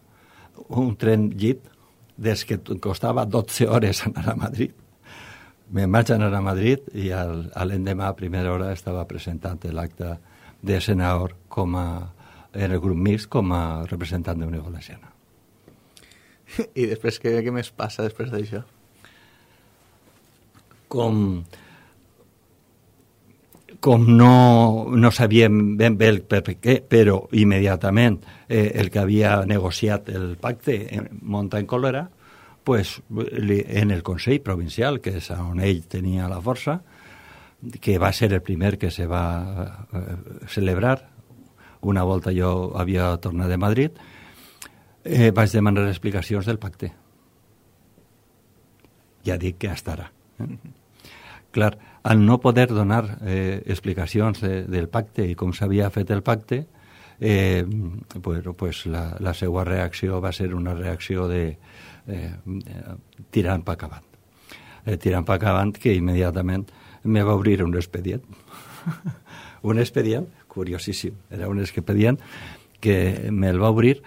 un tren llit, des que costava dotze hores anar a Madrid. Me'n vaig anar a Madrid i al, a l'endemà a primera hora estava presentant l'acte de senador com a, en el grup mixt com a representant d'Unió Valenciana. I després, què, què més passa després d'això? Com, com no, no sabíem ben bé el per què, però immediatament eh, el que havia negociat el pacte monta en còlera, pues, li, en el Consell Provincial, que és on ell tenia la força, que va ser el primer que se va eh, celebrar, una volta jo havia tornat de Madrid, eh, vaig demanar explicacions del pacte. Ja dic que estarà. Eh? Clar, al no poder donar eh, explicacions de, del pacte i com s'havia fet el pacte, eh, pues, pues la, la seva reacció va ser una reacció de eh, tirant pa acabant. Eh, tirant pa acabant que immediatament me va obrir un expedient. un expedient curiosíssim. Era un expedient que me'l va obrir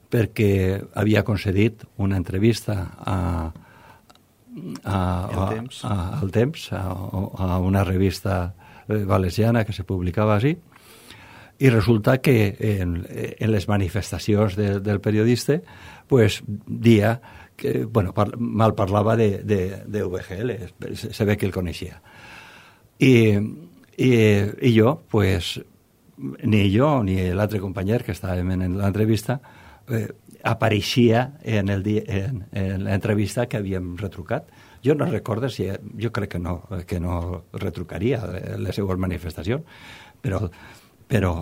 perquè havia concedit una entrevista a, a, a, temps. a, al Temps, a, a una revista valenciana que se publicava així, i resulta que en, en les manifestacions de, del periodista pues, dia que, bueno, par, mal parlava de, de, de U G L, se ve que el coneixia. I, i, i jo, pues, ni jo ni l'altre company que estàvem en l'entrevista eh, apareixia en, el dia, en, en l'entrevista que havíem retrucat. Jo no recordo si... Jo crec que no, que no retrucaria les seues manifestacions, però, però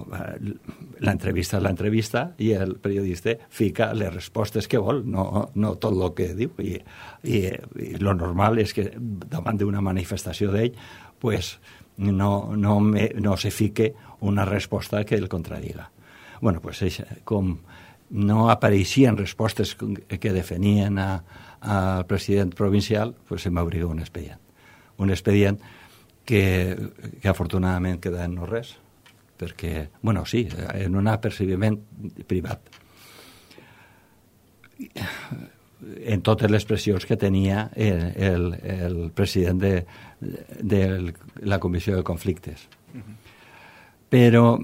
l'entrevista és l'entrevista i el periodista fica les respostes que vol, no, no tot el que diu. I, i, i lo normal és que davant d'una manifestació d'ell pues, no, no, me, no se fique una resposta que el contradiga. Bueno, pues com no apareixien respostes que definien a, al president provincial, pues se m'obriga un expedient. Un expedient que, que afortunadament queda en no res, perquè, bueno, sí, en un apercibiment privat. En totes les pressions que tenia el, el, el president de, de la Comissió de Conflictes. Uh-huh. Però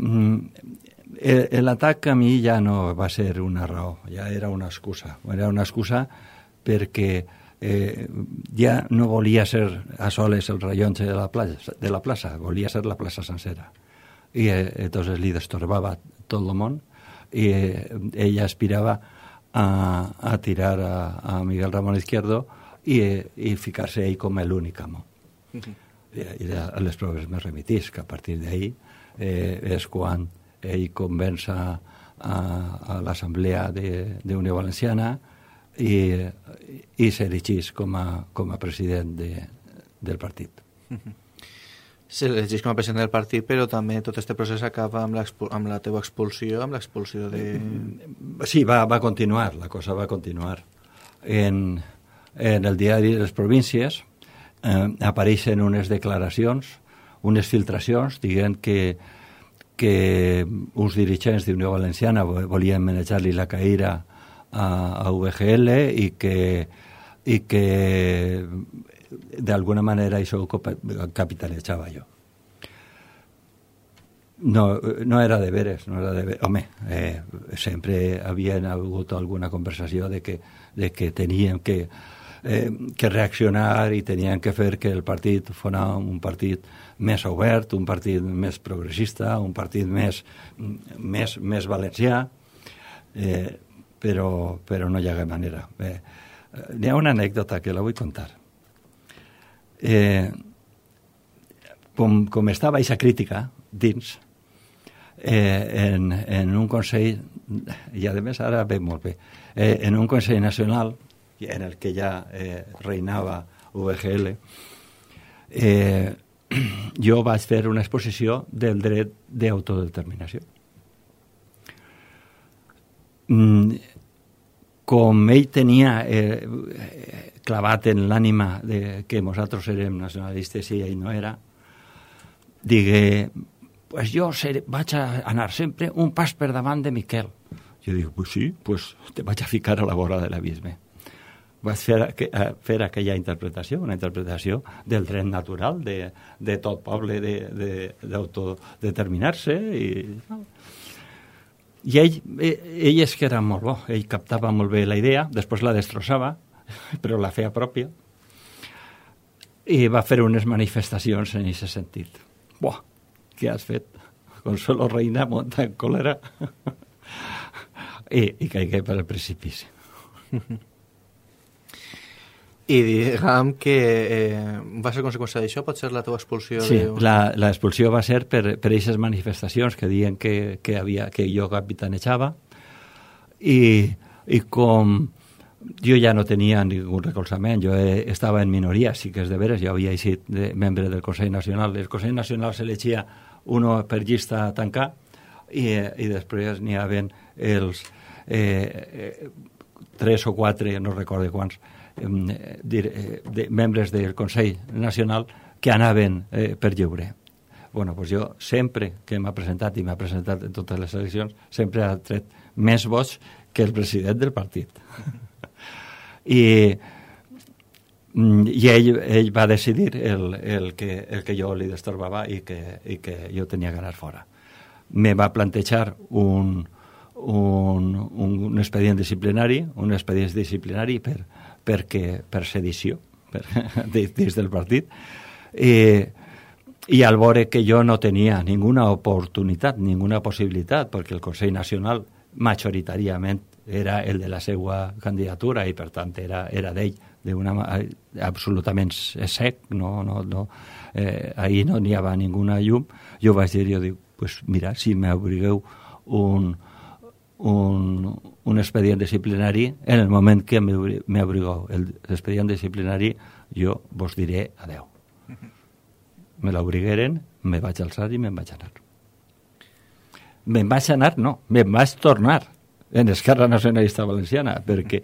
l'atac a mi ja no va ser una raó, ja era una excusa. Era una excusa perquè eh, ja no volia ser a soles el rellotge de la plaça, de la plaça, volia ser la plaça sencera. I eh, entonces li destorbava tot el món i eh, ella aspirava a, a tirar a, a Miguel Ramón Izquierdo i, i ficar-se ell com l'únic amo. Uh-huh. I, i a les proves me remitís, que a partir d'ahí eh, és quan ell convença a, a l'Assemblea d'Unió Valenciana i, i s'elegís com, a, com a president de, del partit. Uh-huh. S'elegís com a president del partit, però també tot aquest procés acaba amb, amb la teva expulsió, amb l'expulsió de... Sí, va, va continuar, la cosa va continuar. En, en el diari de les províncies eh, apareixen unes declaracions, unes filtracions, dient que, que uns dirigents d'Unió Valenciana volien manejar-li la caïra a, a U G L i que, i que d'alguna manera això ho capitalitzava jo. No, no era de veres, no era de veres. Home, eh, sempre havia hagut alguna conversació de que, de que teníem que eh, que reaccionar i tenien que fer que el partit fos un partit més obert, un partit més progressista, un partit més, més, més valencià, eh, però, però no hi ha manera. Eh, n'hi ha una anècdota que la vull contar. Eh, com, com estava aquesta crítica dins, eh, en, en un Consell, i a més ara ve molt bé, eh, en un Consell Nacional en el que ja eh, reinava U V G L, eh, jo vaig fer una exposició del dret d'autodeterminació. Mm, com ell tenia eh, clavat en l'ànima de que nosaltres érem nacionalistes i ell no era, digué, pues jo seré, vaig a anar sempre un pas per davant de Miquel. Jo dic, pues sí, pues te vaig a ficar a la vora de l'abisme. Vaig fer, fer aquella interpretació, una interpretació del dret natural de, de tot poble d'autodeterminar-se. I, i ell, ell és que era molt bo, ell captava molt bé la idea, després la destrossava, però la feia pròpia, i va fer unes manifestacions en aquest sentit. Buah, què has fet? Consuelo Reina monta en còlera i, i caigué per el precipici. I diguem que eh, va ser conseqüència d'això? Pot ser la teva expulsió? Sí, de... la, la expulsió va ser per, per aquestes manifestacions que diuen que, que, havia, que jo capitanejava i, i com jo ja no tenia ningú recolzament, jo eh, estava en minoria, sí que és de veres, jo havia sigut de, membre del Consell Nacional. El Consell Nacional s'elegia uno per llista a tancar i, i després n'hi havia els eh, eh, tres o quatre, no recordo quants, eh, de, de, membres del Consell Nacional que anaven eh, per lliure. Bueno, pues jo sempre que m'ha presentat, i m'ha presentat en totes les eleccions, sempre ha tret més vots que el president del partit. I, i ell, ell va decidir el, el, que, el que jo li destorbava i que, i que jo tenia que anar fora. Me va plantejar un, un, un expedient disciplinari, un expedient disciplinari per, perquè, per sedició per, dins del partit, i, i al veure que jo no tenia ninguna oportunitat, ninguna possibilitat, perquè el Consell Nacional majoritàriament era el de la seva candidatura i per tant era, era d'ell d'una absolutament sec, no, no, no, eh, ahir no n'hi havia ninguna llum. Jo vaig dir, jo dic, pues mira, si m'obrigueu un, un, un expedient disciplinari, en el moment que m'obrigueu l'expedient disciplinari, jo vos diré adeu. Me l'obrigueren, me vaig alçar i me'n vaig anar. Me'n vaig anar, no, me'n vaig tornar en Esquerra Nacionalista Valenciana, perquè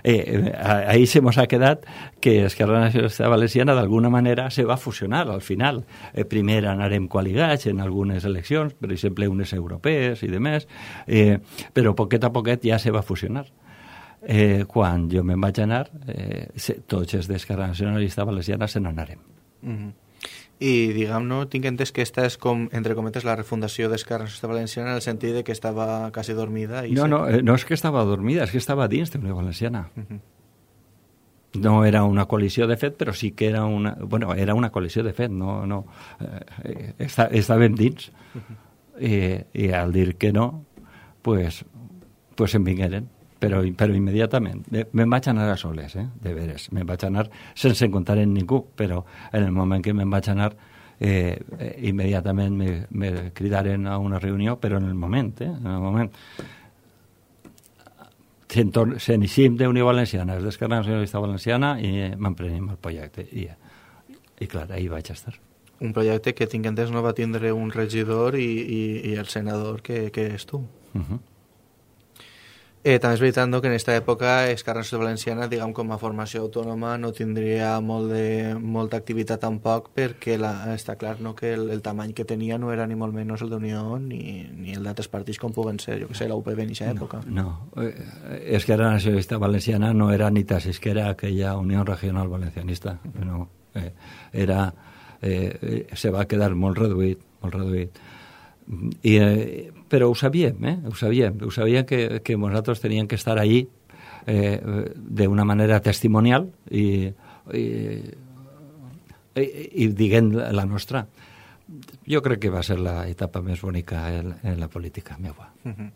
eh, ahí se mos ha quedat que Esquerra Nacionalista Valenciana d'alguna manera se va fusionar al final. Eh, primer anarem coaligats en algunes eleccions, per exemple unes europees i demés, eh, però poquet a poquet ja se va fusionar. Eh, quan jo me'n vaig anar, eh, se, tots els d'Esquerra Nacionalista Valenciana se n'anarem. Mm-hmm. I, diguem, no, tinc entès que esta és, com, entre cometes, la refundació d'Esquerra Nacionalista Valenciana en el sentit de que estava quasi dormida. I no, se... no, no és que estava dormida, és que estava dins d'Unió Valenciana. Uh-huh. No era una coalició de fet, però sí que era una... Bueno, era una coalició de fet, no... no eh, està, estàvem dins. Uh-huh. I, I al dir que no, pues, pues em vingueren. Però, però immediatament. Me'n vaig anar a soles, eh? De veres. Me'n vaig anar sense comptar en ningú, però en el moment que me'n vaig anar, eh, eh, immediatament me, me cridaren a una reunió, però en el moment, eh? En el moment. S'enicim d'Unió Valenciana, és d'Esquerra Nacionalista Valenciana, i m'emprenem el projecte. I, i clar, ahí vaig estar. Un projecte que tinc entès no va tindre un regidor i, i, i el senador que, que és tu. Uh-huh. Eh, també és veritat no, que en aquesta època Esquerra Nacionalista Valenciana, diguem, com a formació autònoma, no tindria molt de, molta activitat tampoc, perquè la, està clar no, que el, el tamany que tenia no era ni molt menys el d'Unió ni, ni el d'altres partits com puguen ser, jo que sé, la U P B en aquesta època. No, no. Eh, Esquerra Nacionalista Valenciana no era ni tan siquiera aquella Unió Regional Valencianista, no. Eh, era, eh, se va quedar molt reduït, molt reduït. I, eh, però ho sabíem, eh? ho sabíem, ho sabíem que, que nosaltres teníem que estar allí eh, d'una manera testimonial i, i, i, i diguent la nostra. Jo crec que va ser la etapa més bonica en, en la política meua. Uh-huh.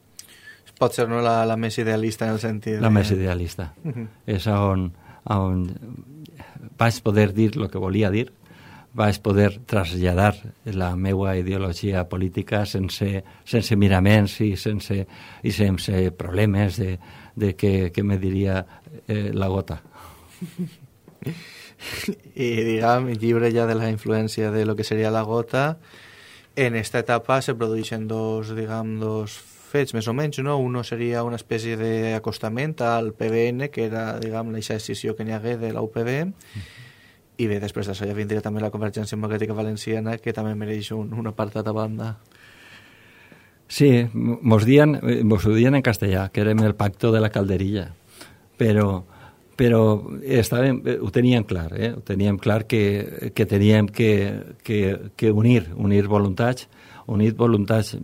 Pot ser no la, la més idealista en el sentit... La de... més idealista. Uh-huh. És on, on vaig poder dir el que volia dir, vaig poder traslladar la meva ideologia política sense, sense miraments i sense, i sense problemes de, de què, què me diria eh, la gota. I, diguem, lliure ja de la influència de lo que seria la gota, en esta etapa se produeixen dos, diguem, dos fets més o menys, no? Uno seria una espècie d'acostament al P B N, que era, diguem, la decisió que n'hi hagué de la U P B, mm. I bé, després d'això ja vindria també la Convergència Democràtica Valenciana, que també mereix un, un apartat a banda. Sí, mos, dien, mos ho dien en castellà, que érem el pacto de la calderilla, però, però estàvem, ho teníem clar, eh? Ho teníem clar que, que teníem que, que, que unir, unir voluntats, unir voluntats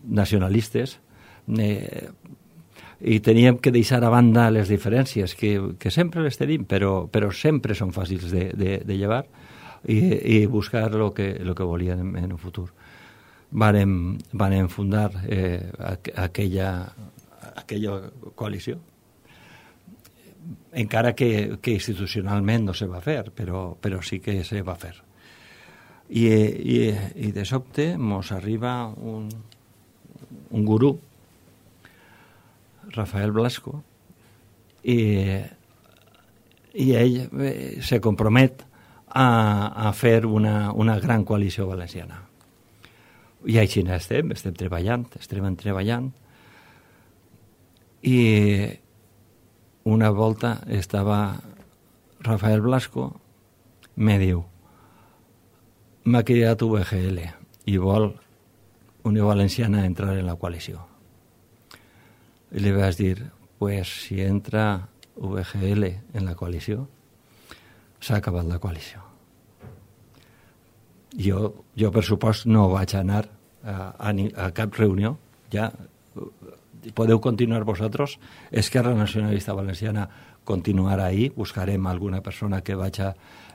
nacionalistes, eh, i teníem que deixar a banda les diferències, que, que sempre les tenim, però, però sempre són fàcils de, de, de llevar, i, i buscar el que, lo que volien en, en un futur. Vàrem, vàrem fundar eh, aquella, aquella coalició, encara que, que institucionalment no se va fer, però, però sí que se va fer. I, i, i de sobte mos arriba un, un gurú, Rafael Blasco, i, i ell se compromet a, a fer una, una gran coalició valenciana. I així estem, estem treballant, estem treballant, i una volta estava Rafael Blasco, me diu, m'ha cridat U V G L i vol Unió Valenciana entrar en la coalició. I li vaig dir, pues si entra U V G L en la coalició, s'ha acabat la coalició. Jo, jo per supost, no vaig anar a, a, a cap reunió, ja podeu continuar vosaltres, Esquerra Nacionalista Valenciana continuarà ahí, buscarem alguna persona que vagi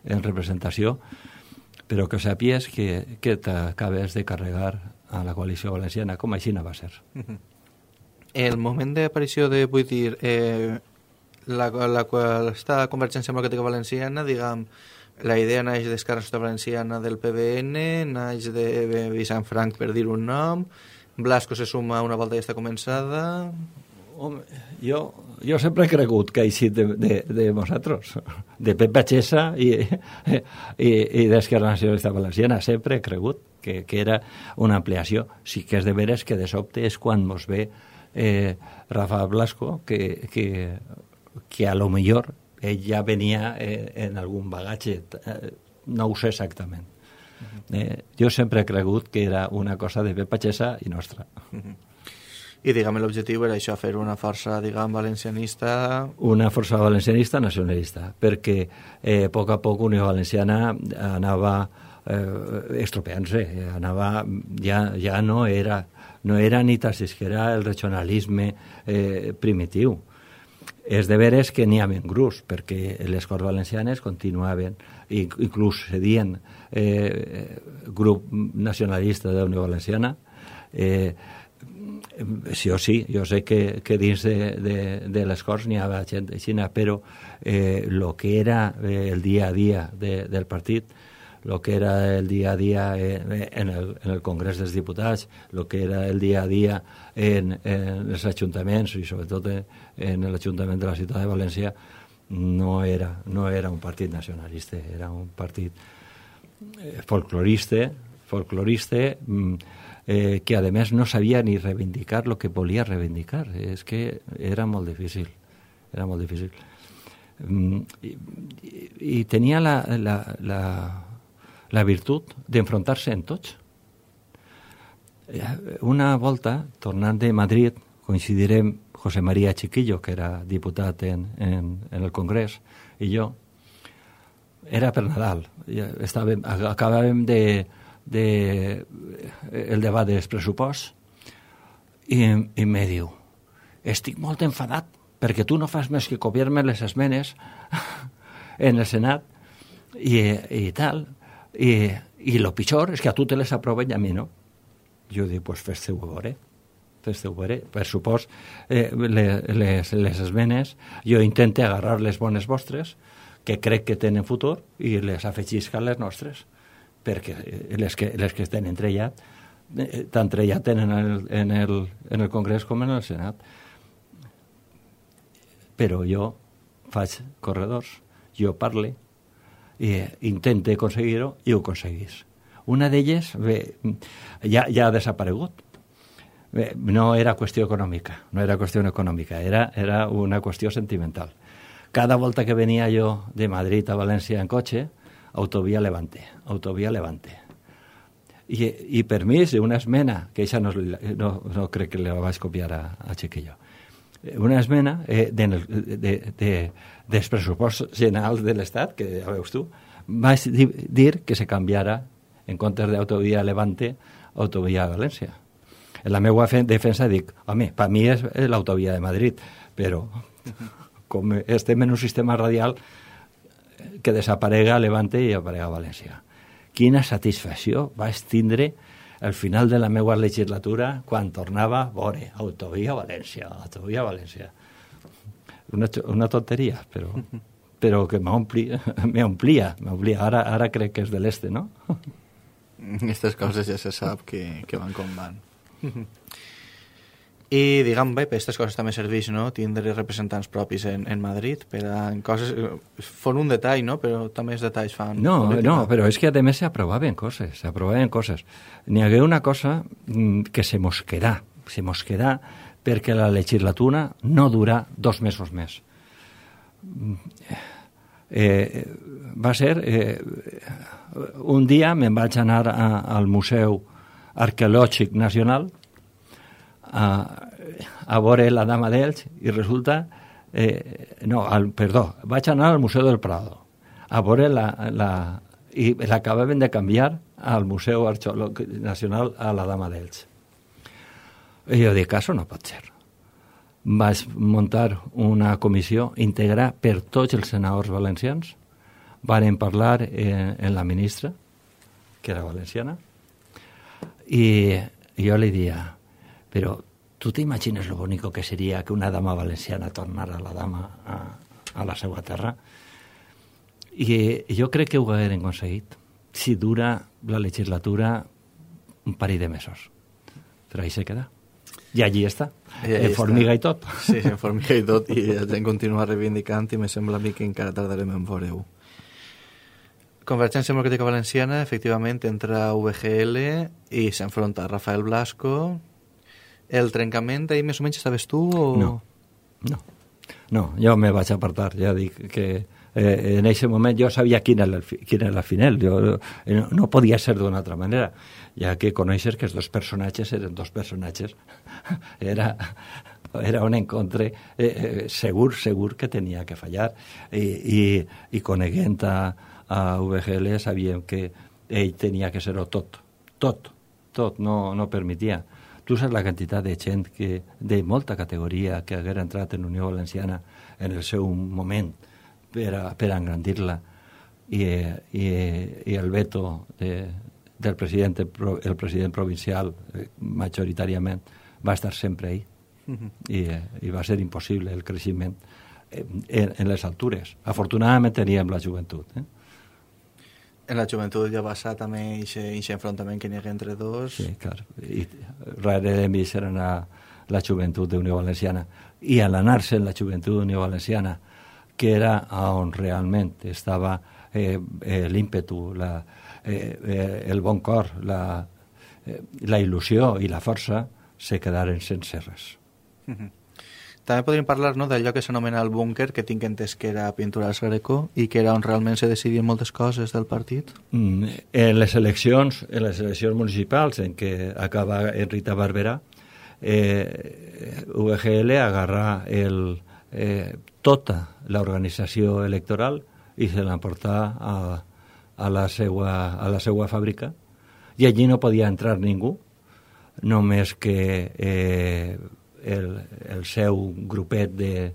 en representació, però que sàpies que, que t'acabes de carregar a la coalició valenciana, com així no va ser. Uh-huh. El moment d'aparició de, vull dir, eh, la, la, esta Convergència Democràtica Valenciana, diguem, la idea naix d'Esquerra Nacionalista Valenciana del P B N, naix de Vicent Frank, per dir un nom, Blasco se suma una volta ja està començada... Home, jo, jo sempre he cregut que ha eixit de, de, de nosaltres, de Pep Batxessa i, i, i d'Esquerra Nacionalista Valenciana, sempre he cregut que, que era una ampliació. Sí que és de veres que de sobte és quan mos ve eh, Rafa Blasco, que, que, que a lo millor ell ja venia eh, en algun bagatge, eh, no ho sé exactament. Eh, jo sempre he cregut que era una cosa de Pep Batxessa i nostra. Uh-huh. I, diguem, l'objectiu era això, fer una força, diguem, valencianista... Una força valencianista nacionalista, perquè eh, a poc a poc Unió Valenciana anava eh, estropeant-se, anava, ja, ja no era, no era ni tan siquiera el regionalisme eh, primitiu. És de veres que n'hi havia grups, perquè les Corts Valencianes continuaven, inclús cedien eh, grup nacionalista de Unió Valenciana, eh, sí o sí, jo sé que, que dins de, de, de les Corts n'hi havia gent així, però eh, lo que era eh, el dia a dia de, del partit, lo que era el dia a dia eh, en, el, en el Congrés dels Diputats, lo que era el dia a dia en, en els ajuntaments i sobretot en, en l'Ajuntament de la Ciutat de València, no era, no era un partit nacionalista, era un partit eh, folclorista, folclorista eh, que a més no sabia ni reivindicar el que volia reivindicar. És que era molt difícil, era molt difícil. Mm, i, i tenia la, la, la, la virtut d'enfrontar-se en tots. Una volta, tornant de Madrid, coincidirem José María Chiquillo, que era diputat en, en, en el Congrés, i jo. Era per Nadal. Estàvem, acabàvem de, de el debat dels pressuposts i, i me diu, estic molt enfadat perquè tu no fas més que copiar-me les esmenes en el Senat i, i tal, i, i lo pitjor és que a tu te les aproven i a mi no. Jo dic, pues fes-te-ho veure, fes-te-ho veure. Per supòs, eh, les, les, les esmenes, jo intente agarrar les bones vostres, que crec que tenen futur, i les afegisc a les nostres, perquè les que, les que estan entrellat, eh, tant trellat en el, en, el, en el Congrés com en el Senat. Però jo faig corredors, jo parle, i intente aconseguir-ho, i ho aconseguís. Una d'elles bé, ja, ja ha desaparegut. Bé, no era qüestió econòmica, no era qüestió econòmica, era, era una qüestió sentimental. Cada volta que venia jo de Madrid a València en cotxe, autovia Levante, autovia Levante. I, i per mi és una esmena, que això no, no, no crec que la vaig copiar a, a Chiquillo, una esmena eh, de, de, de, dels pressupostos generals de l'Estat, que ja veus tu, vaig dir, dir que se canviara en comptes d'autovia Levante, autovia València. En la meva defensa dic, home, per mi és l'autovia de Madrid, però com estem en un sistema radial, que desaparega Levante i aparega València. Quina satisfacció vaig tindre al final de la meva legislatura quan tornava a veure autovia València, autovia València. Una, una tonteria, però, però que m'omplia, m'omplia, m'omplia. Ara, ara crec que és de l'este, no? Aquestes coses ja se sap que, que van com van. I, diguem, bé, per aquestes coses també serveix, no?, tindre representants propis en, en Madrid, per a en coses... Fon un detall, no?, però també els detalls fan... No, política. No, però és que a més s'aprovaven coses, s'aprovaven coses. N'hi hagué una cosa que se mos quedà, se mos quedà perquè la legislatura no dura dos mesos més. Eh, va ser... Eh, un dia me'n vaig anar a, al Museu Arqueològic Nacional a, a veure la Dama d'Elx i resulta... Eh, no, al, perdó, vaig anar al Museu del Prado a veure la... la i l'acabaven de canviar al Museu Arqueològic Nacional a la Dama d'Elx. I jo dic, això no pot ser. Vaig muntar una comissió íntegra per tots els senadors valencians. Varen parlar en, en la ministra, que era valenciana, i jo li dia, però tu t'imagines lo bonico que seria que una dama valenciana tornara a la dama a, a la seva terra? I jo crec que ho hagueren aconseguit si dura la legislatura un parell de mesos. Però ahí se queda. I allí està, en formiga i tot. Sí, en formiga i tot, i ens hem continuat reivindicant i me sembla a mi que encara tardarem en veure-ho. Convergència Democràtica Valenciana, efectivament, entra a U V G L i s'enfronta a Rafael Blasco. El trencament, ahir més o menys estaves tu? O... No, no, no, jo me vaig apartar, ja dic que eh, en aquest moment jo sabia quin era el, quin era el final, jo, no, no podia ser d'una altra manera, ja que coneixes que els dos personatges eren dos personatges, era, era un encontre eh, eh, segur, segur que tenia que fallar, i, i, i coneguent a, a U V G L sabíem que ell tenia que ser-ho tot, tot, tot, no, no permetia. Tu saps la quantitat de gent que, de molta categoria que haguera entrat en Unió Valenciana en el seu moment per, a, per engrandir-la i, i, i el veto de, del president, el president provincial eh, majoritàriament va estar sempre ahí uh-huh. I, i va ser impossible el creixement en, en les altures. Afortunadament teníem la joventut, eh? En la joventut ja va ser també aquest enfrontament que n'hi ha entre dos. Sí, clar. I darrere de mi serà la, la joventut d'Unió Valenciana. I a l'anar-se en la joventut d'Unió Valenciana, que era on realment estava eh, eh, l'ímpetu, la, eh, eh, el bon cor, la, eh, la il·lusió i la força, se quedaren sense res. Uh-huh. També podríem parlar, no, d'allò que s'anomena el búnquer, que tinc entès que era Pintures Greco i que era on realment se decidien moltes coses del partit. Mm, en les eleccions, en les eleccions municipals en què acaba en Rita Barberà, eh, U V G L agarra el, eh, tota l'organització electoral i se l'emporta a, a, la seua, a la seua fàbrica, i allí no podia entrar ningú, només que... Eh, El, el seu grupet de,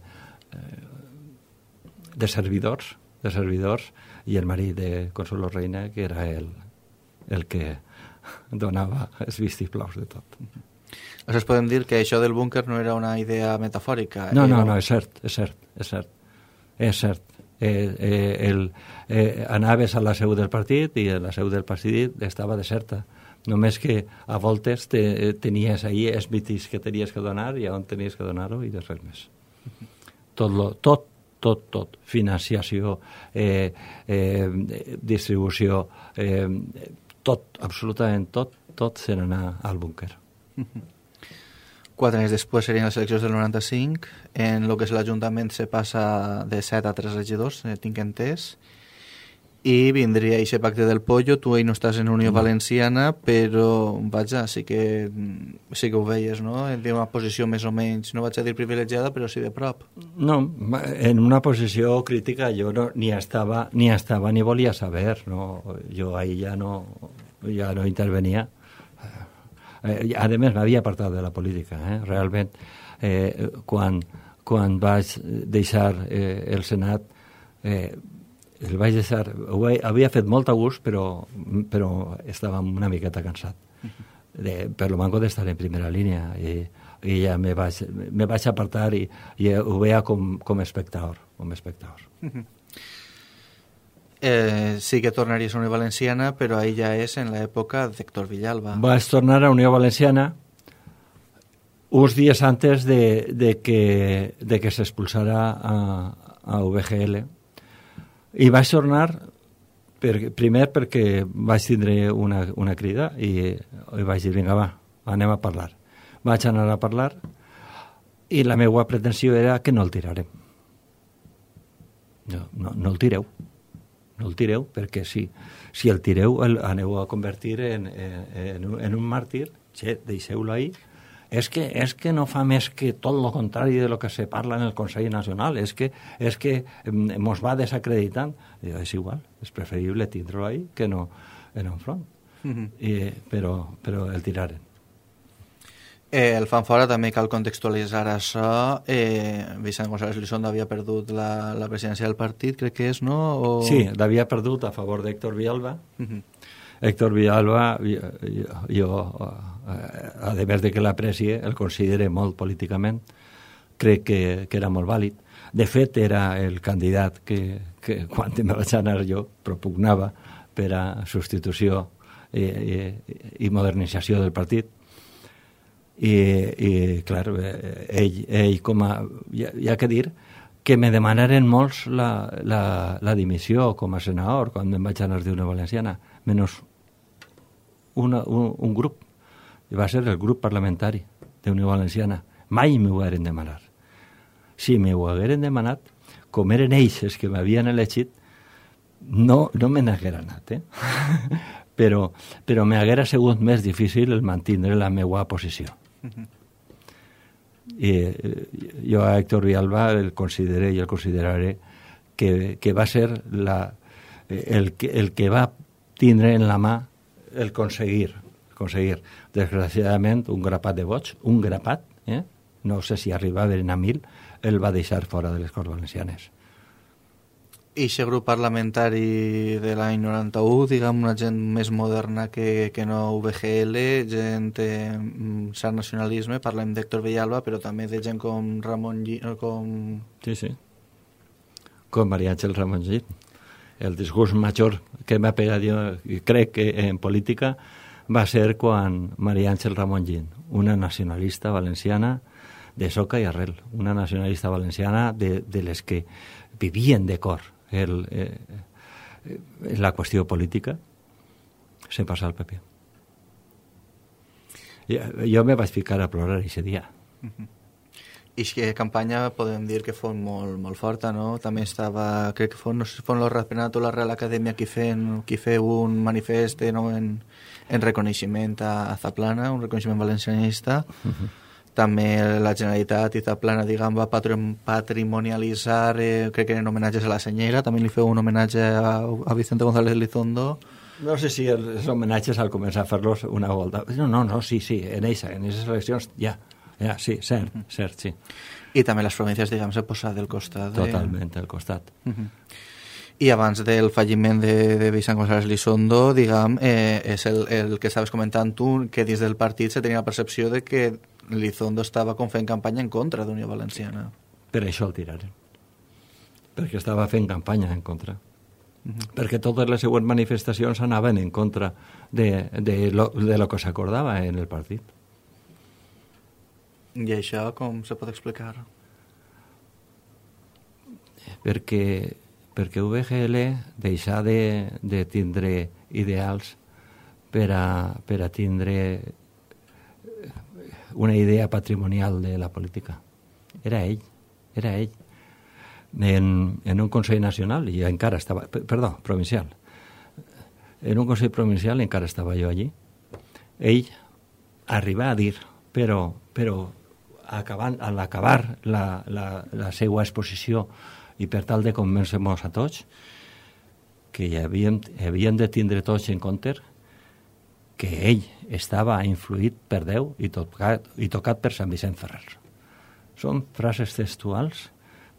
de servidors, de servidors, i el marit de Consuelo Reina, que era el, el que donava els vistiplaus de tot. Aleshores podem dir que això del búnquer no era una idea metafòrica. No, no, era... no, és cert, és cert, és cert. És cert. Eh, eh, el, eh, anaves a la seu del partit i la seu del partit estava deserta. Només que a voltes te, tenies ahí els mitis que tenies que donar i on tenies que donar-ho i res més. Tot, lo, tot, tot, tot. Financiació, eh, eh, distribució, eh, tot, absolutament tot, tot se n'anà al búnquer. Quatre anys després serien les eleccions del noranta-cinc. En el que és l'Ajuntament se passa de set a tres regidors, eh, tinc entès. I vindria aquest pacte del pollo. Tu ahí no estàs en Unió no. Valenciana, però, vaja, sí que, sí que ho veies, no? En una posició més o menys, no vaig a dir privilegiada, però sí de prop. No, en una posició crítica jo no, ni, estava, ni estava ni volia saber, no? Jo ahí ja no, ja no intervenia. Eh, a més, m'havia apartat de la política, eh? Realment. Eh, quan, quan vaig deixar eh, el Senat, eh, el vaig deixar... Ho havia fet molt a gust, però, però estava una miqueta cansat. De, per lo manco d'estar en primera línia. I, i ja me vaig, me vaig apartar i, i ho veia com, com espectador. Com espectador. Eh, sí que tornaries a Unió Valenciana, però ahí ja és en l'època d'Héctor Villalba. Vaig tornar a Unió Valenciana uns dies antes de, de que, de que s'expulsara a, a U V G L. I vaig tornar per, primer perquè vaig tindre una, una crida i, i vaig dir, vinga, va, anem a parlar. Vaig anar a parlar i la meva pretensió era que no el tirarem. No, no, no el tireu. No el tireu, perquè si, si el tireu el aneu a convertir en, en, en, un, en un màrtir, che, deixeu-lo ahí. És que, és que no fa més que tot el contrari de lo que se parla en el Consell Nacional, és que, és que mos va desacreditant. I és igual, és preferible tindre-lo ahí que no en un front. Mm-hmm. I, però, però el tiraren. Eh, el fan fora també cal contextualitzar això. Eh, Vicent González Elizondo havia perdut la, la presidència del partit, crec que és, no? O... Sí, l'havia perdut a favor d'Héctor Villalba. Uh-huh. Héctor Villalba, jo, jo a més de que l'aprecie, el considere molt políticament, crec que, que era molt vàlid. De fet, era el candidat que, que quan me vaig anar jo, propugnava per a substitució i, i, i modernització del partit. I, i clar, ell, ell com a... Hi ha, hi ha que dir que me demanaren molts la, la, la dimissió com a senador quan em vaig anar d'Unió Valenciana, menys una, un, un grup. I va ser el grup parlamentari d'Unió Valenciana. Mai m'ho hagueren demanat. Si m'ho hagueren demanat, com eren ells els que m'havien elegit, no, no me n'haguera anat, eh? però, però m'haguera sigut més difícil el mantindre la meva posició. Uh-huh. I jo a Héctor Villalba el consideré i el consideraré que, que va ser la, el, que, el que va tindre en la mà el aconseguir, aconseguir. Desgraciadament, un grapat de vots, un grapat, eh? No sé si arribaven a mil, el va deixar fora de les Corts Valencianes. I aquest grup parlamentari de l'any noranta-u, diguem, una gent més moderna que, que no U V G L, gent eh, cert nacionalisme, parlem d'Héctor Villalba, però també de gent com Ramon Llit, com... Sí, sí. Com María Ángel Ramon Llit. El disgust major que m'ha pegat jo, crec que en política, va ser quan María Ángel Ramon Llit, una nacionalista valenciana de soca i arrel, una nacionalista valenciana de, de les que vivien de cor el, eh, la qüestió política, se passa al P P. Jo, jo me vaig ficar a plorar aquest dia. Uh-huh. I que campanya podem dir que fos molt, molt forta, no? També estava, crec que fos, no sé si fos el Ratpenat o la Real Acadèmia qui feien, qui feia un manifest, no? en, en reconeixement a, a Zaplana, un reconeixement valencianista. Uh-huh. També la Generalitat i Zaplana, diguem, va patrimonialitzar, eh, crec que en homenatges a la senyera, també li feu un homenatge a, a Vicente González Elizondo. No sé si els homenatges al començar a fer-los una volta. No, no, no, sí, sí, en eixa, en aquestes eleccions ja, Ja, sí, cert, uh -huh. cert, sí. I també les províncies, diguem, s'ha posat del costat. De... Totalment, del costat. Uh -huh. I abans del falliment de, de Vicent González Lizondo, diguem, eh, és el, el que estaves comentant tu, que dins del partit se tenia la percepció de que Lizondo estava com fent campanya en contra d'Unió Valenciana. Per això el tiraren. Perquè estava fent campanya en contra. Uh -huh. Perquè totes les següents manifestacions anaven en contra de, de, lo, de lo que s'acordava en el partit. I això com se pot explicar? Perquè, perquè U V G L deixa de, de tindre ideals per a, per a tindre una idea patrimonial de la política. Era ell, era ell. En, en un Consell Nacional, i encara estava, perdó, provincial, en un Consell Provincial encara estava jo allí, ell arriba a dir, però, però acabant, a l'acabar la, la, la seva exposició i per tal de convèncer-nos a tots que hi havíem, havíem de tindre tots en compte que ell estava influït per Déu i tocat, i tocat per Sant Vicent Ferrer. Són frases textuals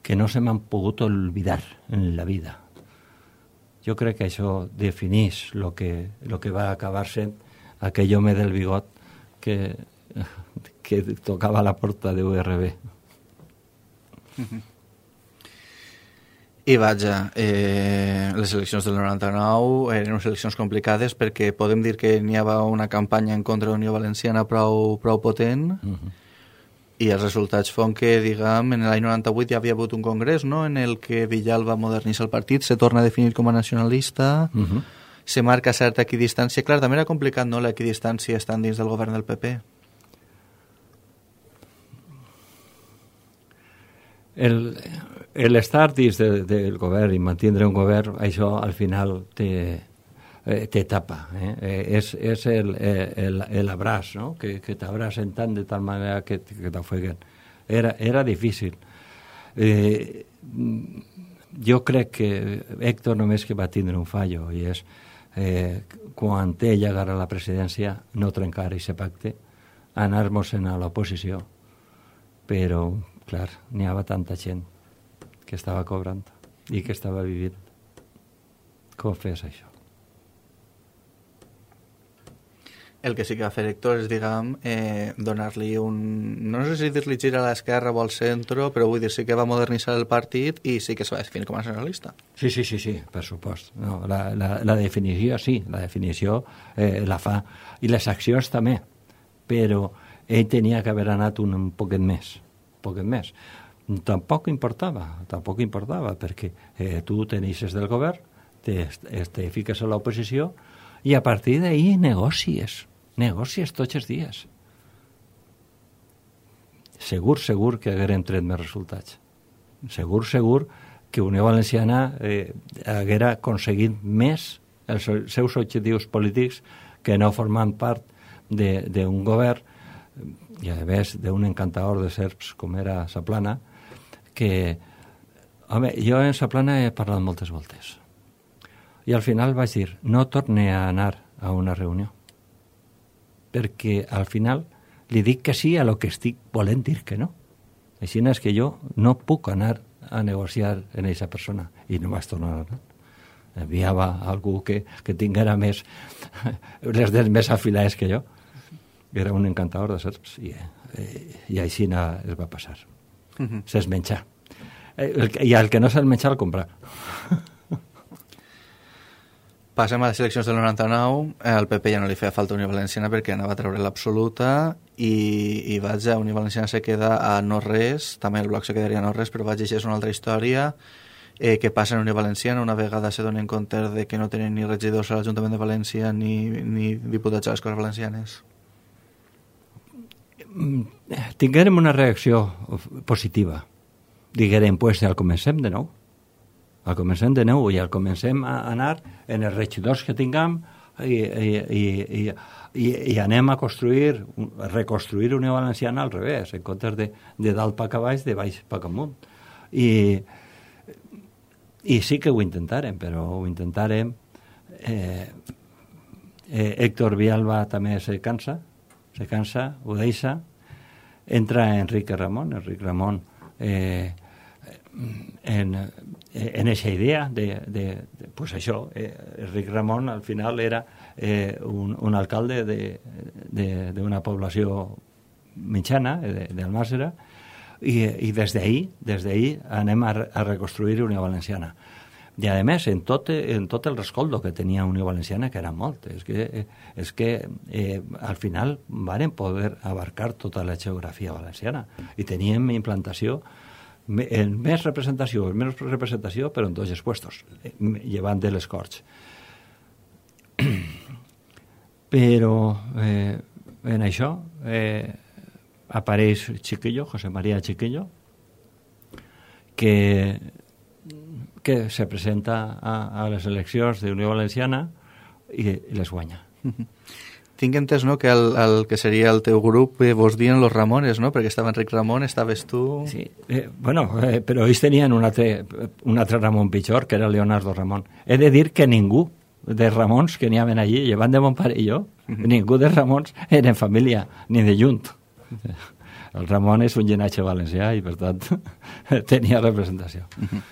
que no se m'han pogut oblidar en la vida. Jo crec que això defineix lo que, lo que va acabar sent aquell home del bigot que, que tocava la porta de U R B. Uh-huh. I vaja, eh, les eleccions del noranta-nou eren unes eleccions complicades perquè podem dir que n'hi havia una campanya en contra de la Unió Valenciana prou, prou potent, uh-huh. i els resultats fan que, diguem, en l'any noranta-vuit ja havia hagut un congrés, no?, en el que Villalba moderniza el partit, se torna a definir com a nacionalista, uh-huh. se marca certa equidistància. Clar, també era complicat, no?, l'equidistància estant dins del govern del P P. El, el estar dins de, del govern i mantindre un govern, això al final te, eh, te tapa. Eh? Eh, és és el, el, el abraç, no?, que, que t'abracen tant de tal manera que, que t'ofeguen. Era, era difícil. Eh, jo crec que Héctor només que va tindre un fallo, i és eh, quan ell agarra la presidència no trencar aquest pacte, anar-nos-en a l'oposició, però clar, n'hi havia tanta gent que estava cobrant i que estava vivint. Com fes això? El que sí que va fer Héctor és, diguem, eh, donar-li un... No sé si dir-li gir a l'esquerra o al centre, però vull dir, sí que va modernitzar el partit i sí que se va definir com a nacionalista. Sí, sí, sí, sí, per supost. No, la, la, la definició, sí, la definició eh, la fa. I les accions també, però ell tenia que haver anat un, un poquet més. poquet més. Tampoc importava, tampoc importava, perquè eh, tu tenies del govern, te, te fiques a l'oposició i a partir d'ahir negocies, negocies tots els dies. Segur, segur que hagueren tret més resultats. Segur, segur que Unió Valenciana eh, haguera aconseguit més els seus objectius polítics que no formant part d'un govern i a més d'un encantador de serps com era Saplana, que, home, jo en Saplana he parlat moltes voltes. I al final vaig dir, no torne a anar a una reunió, perquè al final li dic que sí a lo que estic volent dir que no. Així és que jo no puc anar a negociar en aquesta persona, i no vaig tornar a anar. Enviava algú que, que tinguera més, les dents més afilades que jo. Era un encantador de serps i, eh, i així es va passar. Uh-huh. S'es menjar. Eh, I el que no se'l menjar el comprar. Passem a les eleccions del noranta-nou. Al P P ja no li feia falta Unió Valenciana perquè anava a treure l'absoluta i, i vaja, Unió Valenciana se queda a no res, també el bloc se quedaria a no res, però vaja, això és una altra història. Eh, que passa en Unió Valenciana, una vegada se donen compte de que no tenen ni regidors a l'Ajuntament de València ni, ni diputats a les Corts Valencianes. Tinguérem una reacció positiva. Diguérem, pues, al comencem de nou. Al comencem de nou i al comencem a anar en els regidors que tinguem i, i, i, i, i, i anem a construir, a reconstruir Unió Valenciana al revés, en comptes de, de dalt pa baix, de baix pa amunt. I, I sí que ho intentarem, però ho intentarem. Eh, eh, Héctor Villalba també se cansa, se cansa, ho deixa. entra Enrique Ramón, Enrique Ramón eh, en, en esa idea de, de, de pues això, eh, Enric Ramón al final era eh, un, un alcalde d'una població mitjana, d'Almàssera, i, i des d'ahir des d'ahir anem a, a reconstruir Unió Valenciana. I a més, en tot, en tot el rescoldo que tenia Unió Valenciana, que era molt, és que, és que eh, al final varen poder abarcar tota la geografia valenciana i teníem implantació en més representació, en menys representació, però en tots els puestos, llevant de les Corts. Però eh, en això eh, apareix Chiquillo, José María Chiquillo, que, que se presenta a, a les eleccions de Unió Valenciana i, i les guanya. Tinc entès, no?, que el, el que seria el teu grup eh, vos dien los Ramones, no?, perquè estava Enric Ramón, estaves tu... Sí, eh, bueno, eh, però ells tenien un altre, un altre Ramon pitjor, que era Leonardo Ramón. He de dir que ningú de Ramons que n'hi havia allí, llevant de mon pare i jo, uh-huh. ningú de Ramons eren família, ni de junt. El Ramon és un llinatge valencià i, per tant, tenia representació. Uh-huh.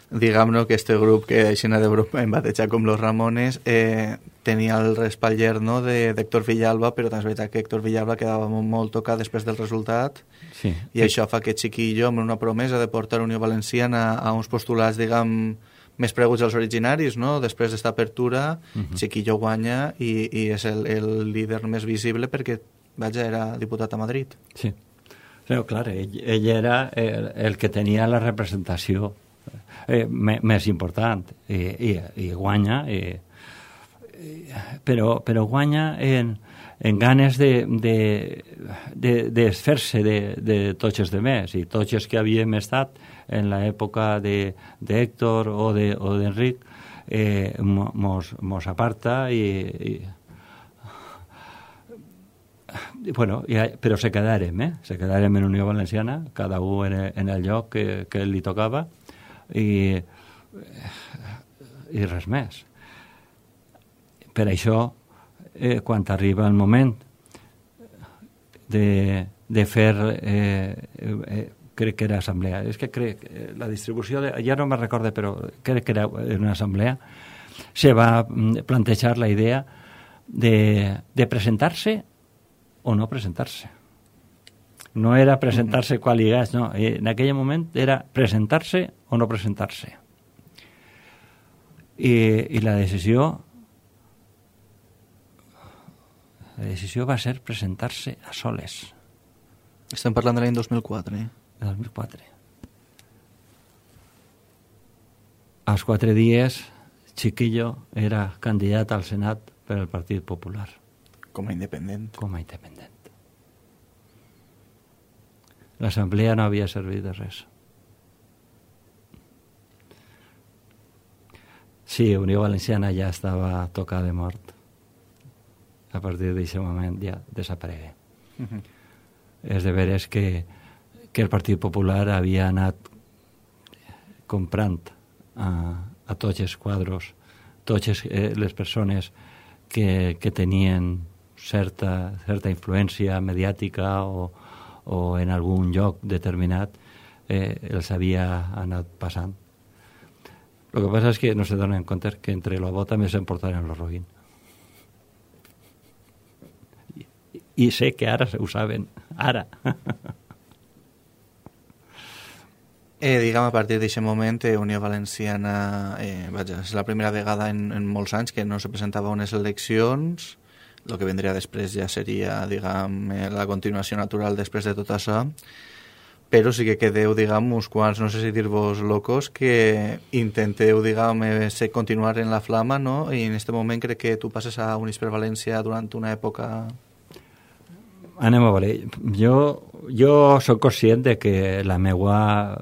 Diguem-ne que este grup que aixina de grup em batejar com los Ramones eh, tenia el respatller, no?, d'Héctor Villalba, però també és veritat que Héctor Villalba quedava molt tocat després del resultat sí. i això fa que Chiquillo, amb una promesa de portar Unió Valenciana a uns postulats, diguem, més preguts als originaris, no?, després d'esta apertura, uh-huh. Chiquillo guanya i, i és el, el líder més visible perquè, vaja, era diputat a Madrid. Sí, però clar, ell, ell era el, el que tenia la representació Eh, més important i, i, i guanya i, i, però, però guanya en, en ganes de, de, de, de fer-se de, de tots els demés i tots els que havíem estat en l'època d'Héctor o d'Enric eh, mos, mos aparta i, i bueno, ja, però se quedarem, eh? se quedarem en Unió Valenciana, cada un en, en el lloc que, que li tocava i, i res més. Per això, eh, quan arriba el moment de, de fer, eh, eh, crec que era assemblea, és que crec que la distribució, de, ja no me recordo, però crec que era una assemblea, se va plantejar la idea de, de presentar-se o no presentar-se. No era presentar-se qual lligats, no. En aquell moment era presentar-se o no presentar-se. I, i la decisió la decisió va ser presentar-se a soles. Estem parlant de l'any dos mil quatre. Eh? dos mil quatre. Als quatre dies, Chiquillo era candidat al Senat per al Partit Popular. Com a independent. Com a independent. L'assemblea no havia servit de res. Sí, Unió Valenciana ja estava tocada de mort. A partir d'aquest moment ja desaparegué. Uh-huh. És de veres que, que el Partit Popular havia anat comprant a, a tots els quadros, totes eh, les persones que, que tenien certa, certa influència mediàtica o o en algun lloc determinat eh, els havia anat passant. El que passa és que no se donen compte que entre la bota també s'emportaren el roguin. I, I sé que ara ho saben, ara. Eh, diguem, a partir d'aquest moment, eh, Unió Valenciana, eh, vaja, és la primera vegada en, en molts anys que no se presentava unes eleccions. El que vendria després ja seria, diguem, la continuació natural després de tot això, però sí que quedeu, diguem, uns quants, no sé si dir-vos locos, que intenteu, diguem, eh, continuar en la flama, no? I en aquest moment crec que tu passes a Units per València durant una època... Anem a veure. Jo, jo soc conscient de que la meva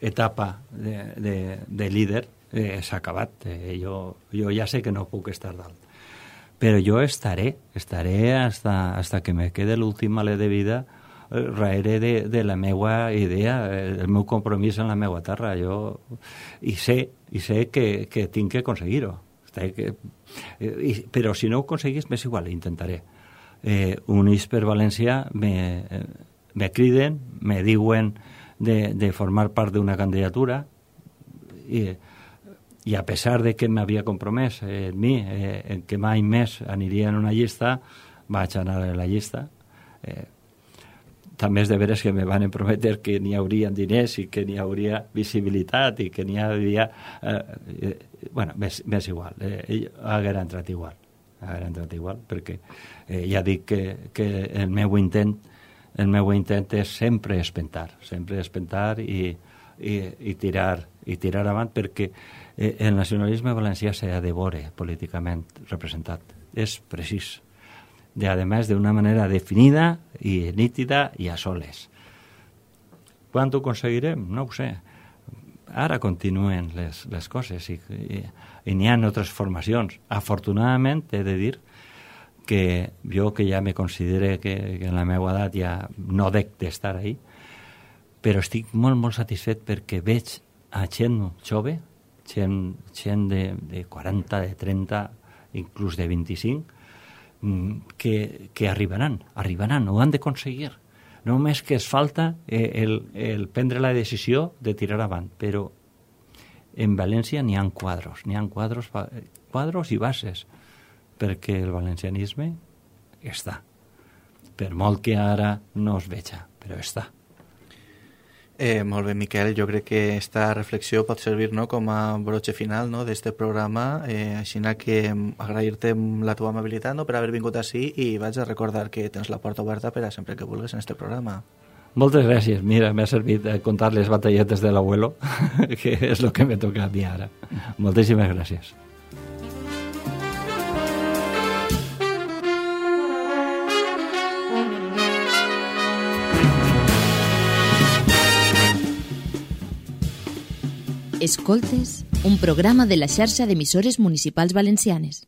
etapa de, de, de líder eh, s'ha acabat. Eh, jo, jo ja sé que no puc estar dalt. Però jo estaré, estaré hasta, hasta que me quede l'últim alè de vida darrere de, de la meva idea, el meu compromís en la meva terra. Jo, i sé, i sé que, que tinc que aconseguir-ho. Que, i, però si no ho aconseguís, m'és igual, intentaré. Eh, Units per València me, me criden, me diuen de, de formar part d'una candidatura i, i a pesar de que m'havia compromès eh, en mi, eh, en que mai més aniria en una llista, vaig anar a la llista. Eh, també és de veres que me van prometre que n'hi hauria diners i que n'hi hauria visibilitat i que n'hi hauria... Eh, eh, bueno, m'és igual, eh, haguera entrat igual, haguera entrat igual, perquè eh, ja dic que, que el meu intent el meu intent és sempre espentar, sempre espentar i, i, i, tirar, i tirar avant, perquè eh, el nacionalisme valencià s'ha de veure políticament representat. És precís. De, además, de una manera definida i nítida i a soles. Quan ho aconseguirem? No ho sé. Ara continuen les, les coses i, i, i n'hi ha altres formacions. Afortunadament, he de dir que jo, que ja me considere que, que en la meva edat ja no dec d'estar ahí, però estic molt, molt satisfet perquè veig a gent jove, gent, gent de, de quaranta, de trenta, inclús de vint-i-cinc, que, que arribaran, arribaran, ho han d'aconseguir. Només que es falta el, el prendre la decisió de tirar avant, però en València n'hi ha quadros, n'hi ha quadros, quadros i bases, perquè el valencianisme està. Per molt que ara no es veja, però està. Eh, molt bé, Miquel, jo crec que esta reflexió pot servir, no, com a broche final, no, d'este programa, eh, així que agrair-te la teva amabilitat, no, per haver vingut així, i vaig a recordar que tens la porta oberta per a sempre que vulguis en este programa. Moltes gràcies. Mira, m'ha servit contar les batalletes de l'abuelo, que és el que me toca a mi ara. Moltíssimes gràcies. Escoltes, un programa de la xarxa d'emissores municipals valencianes.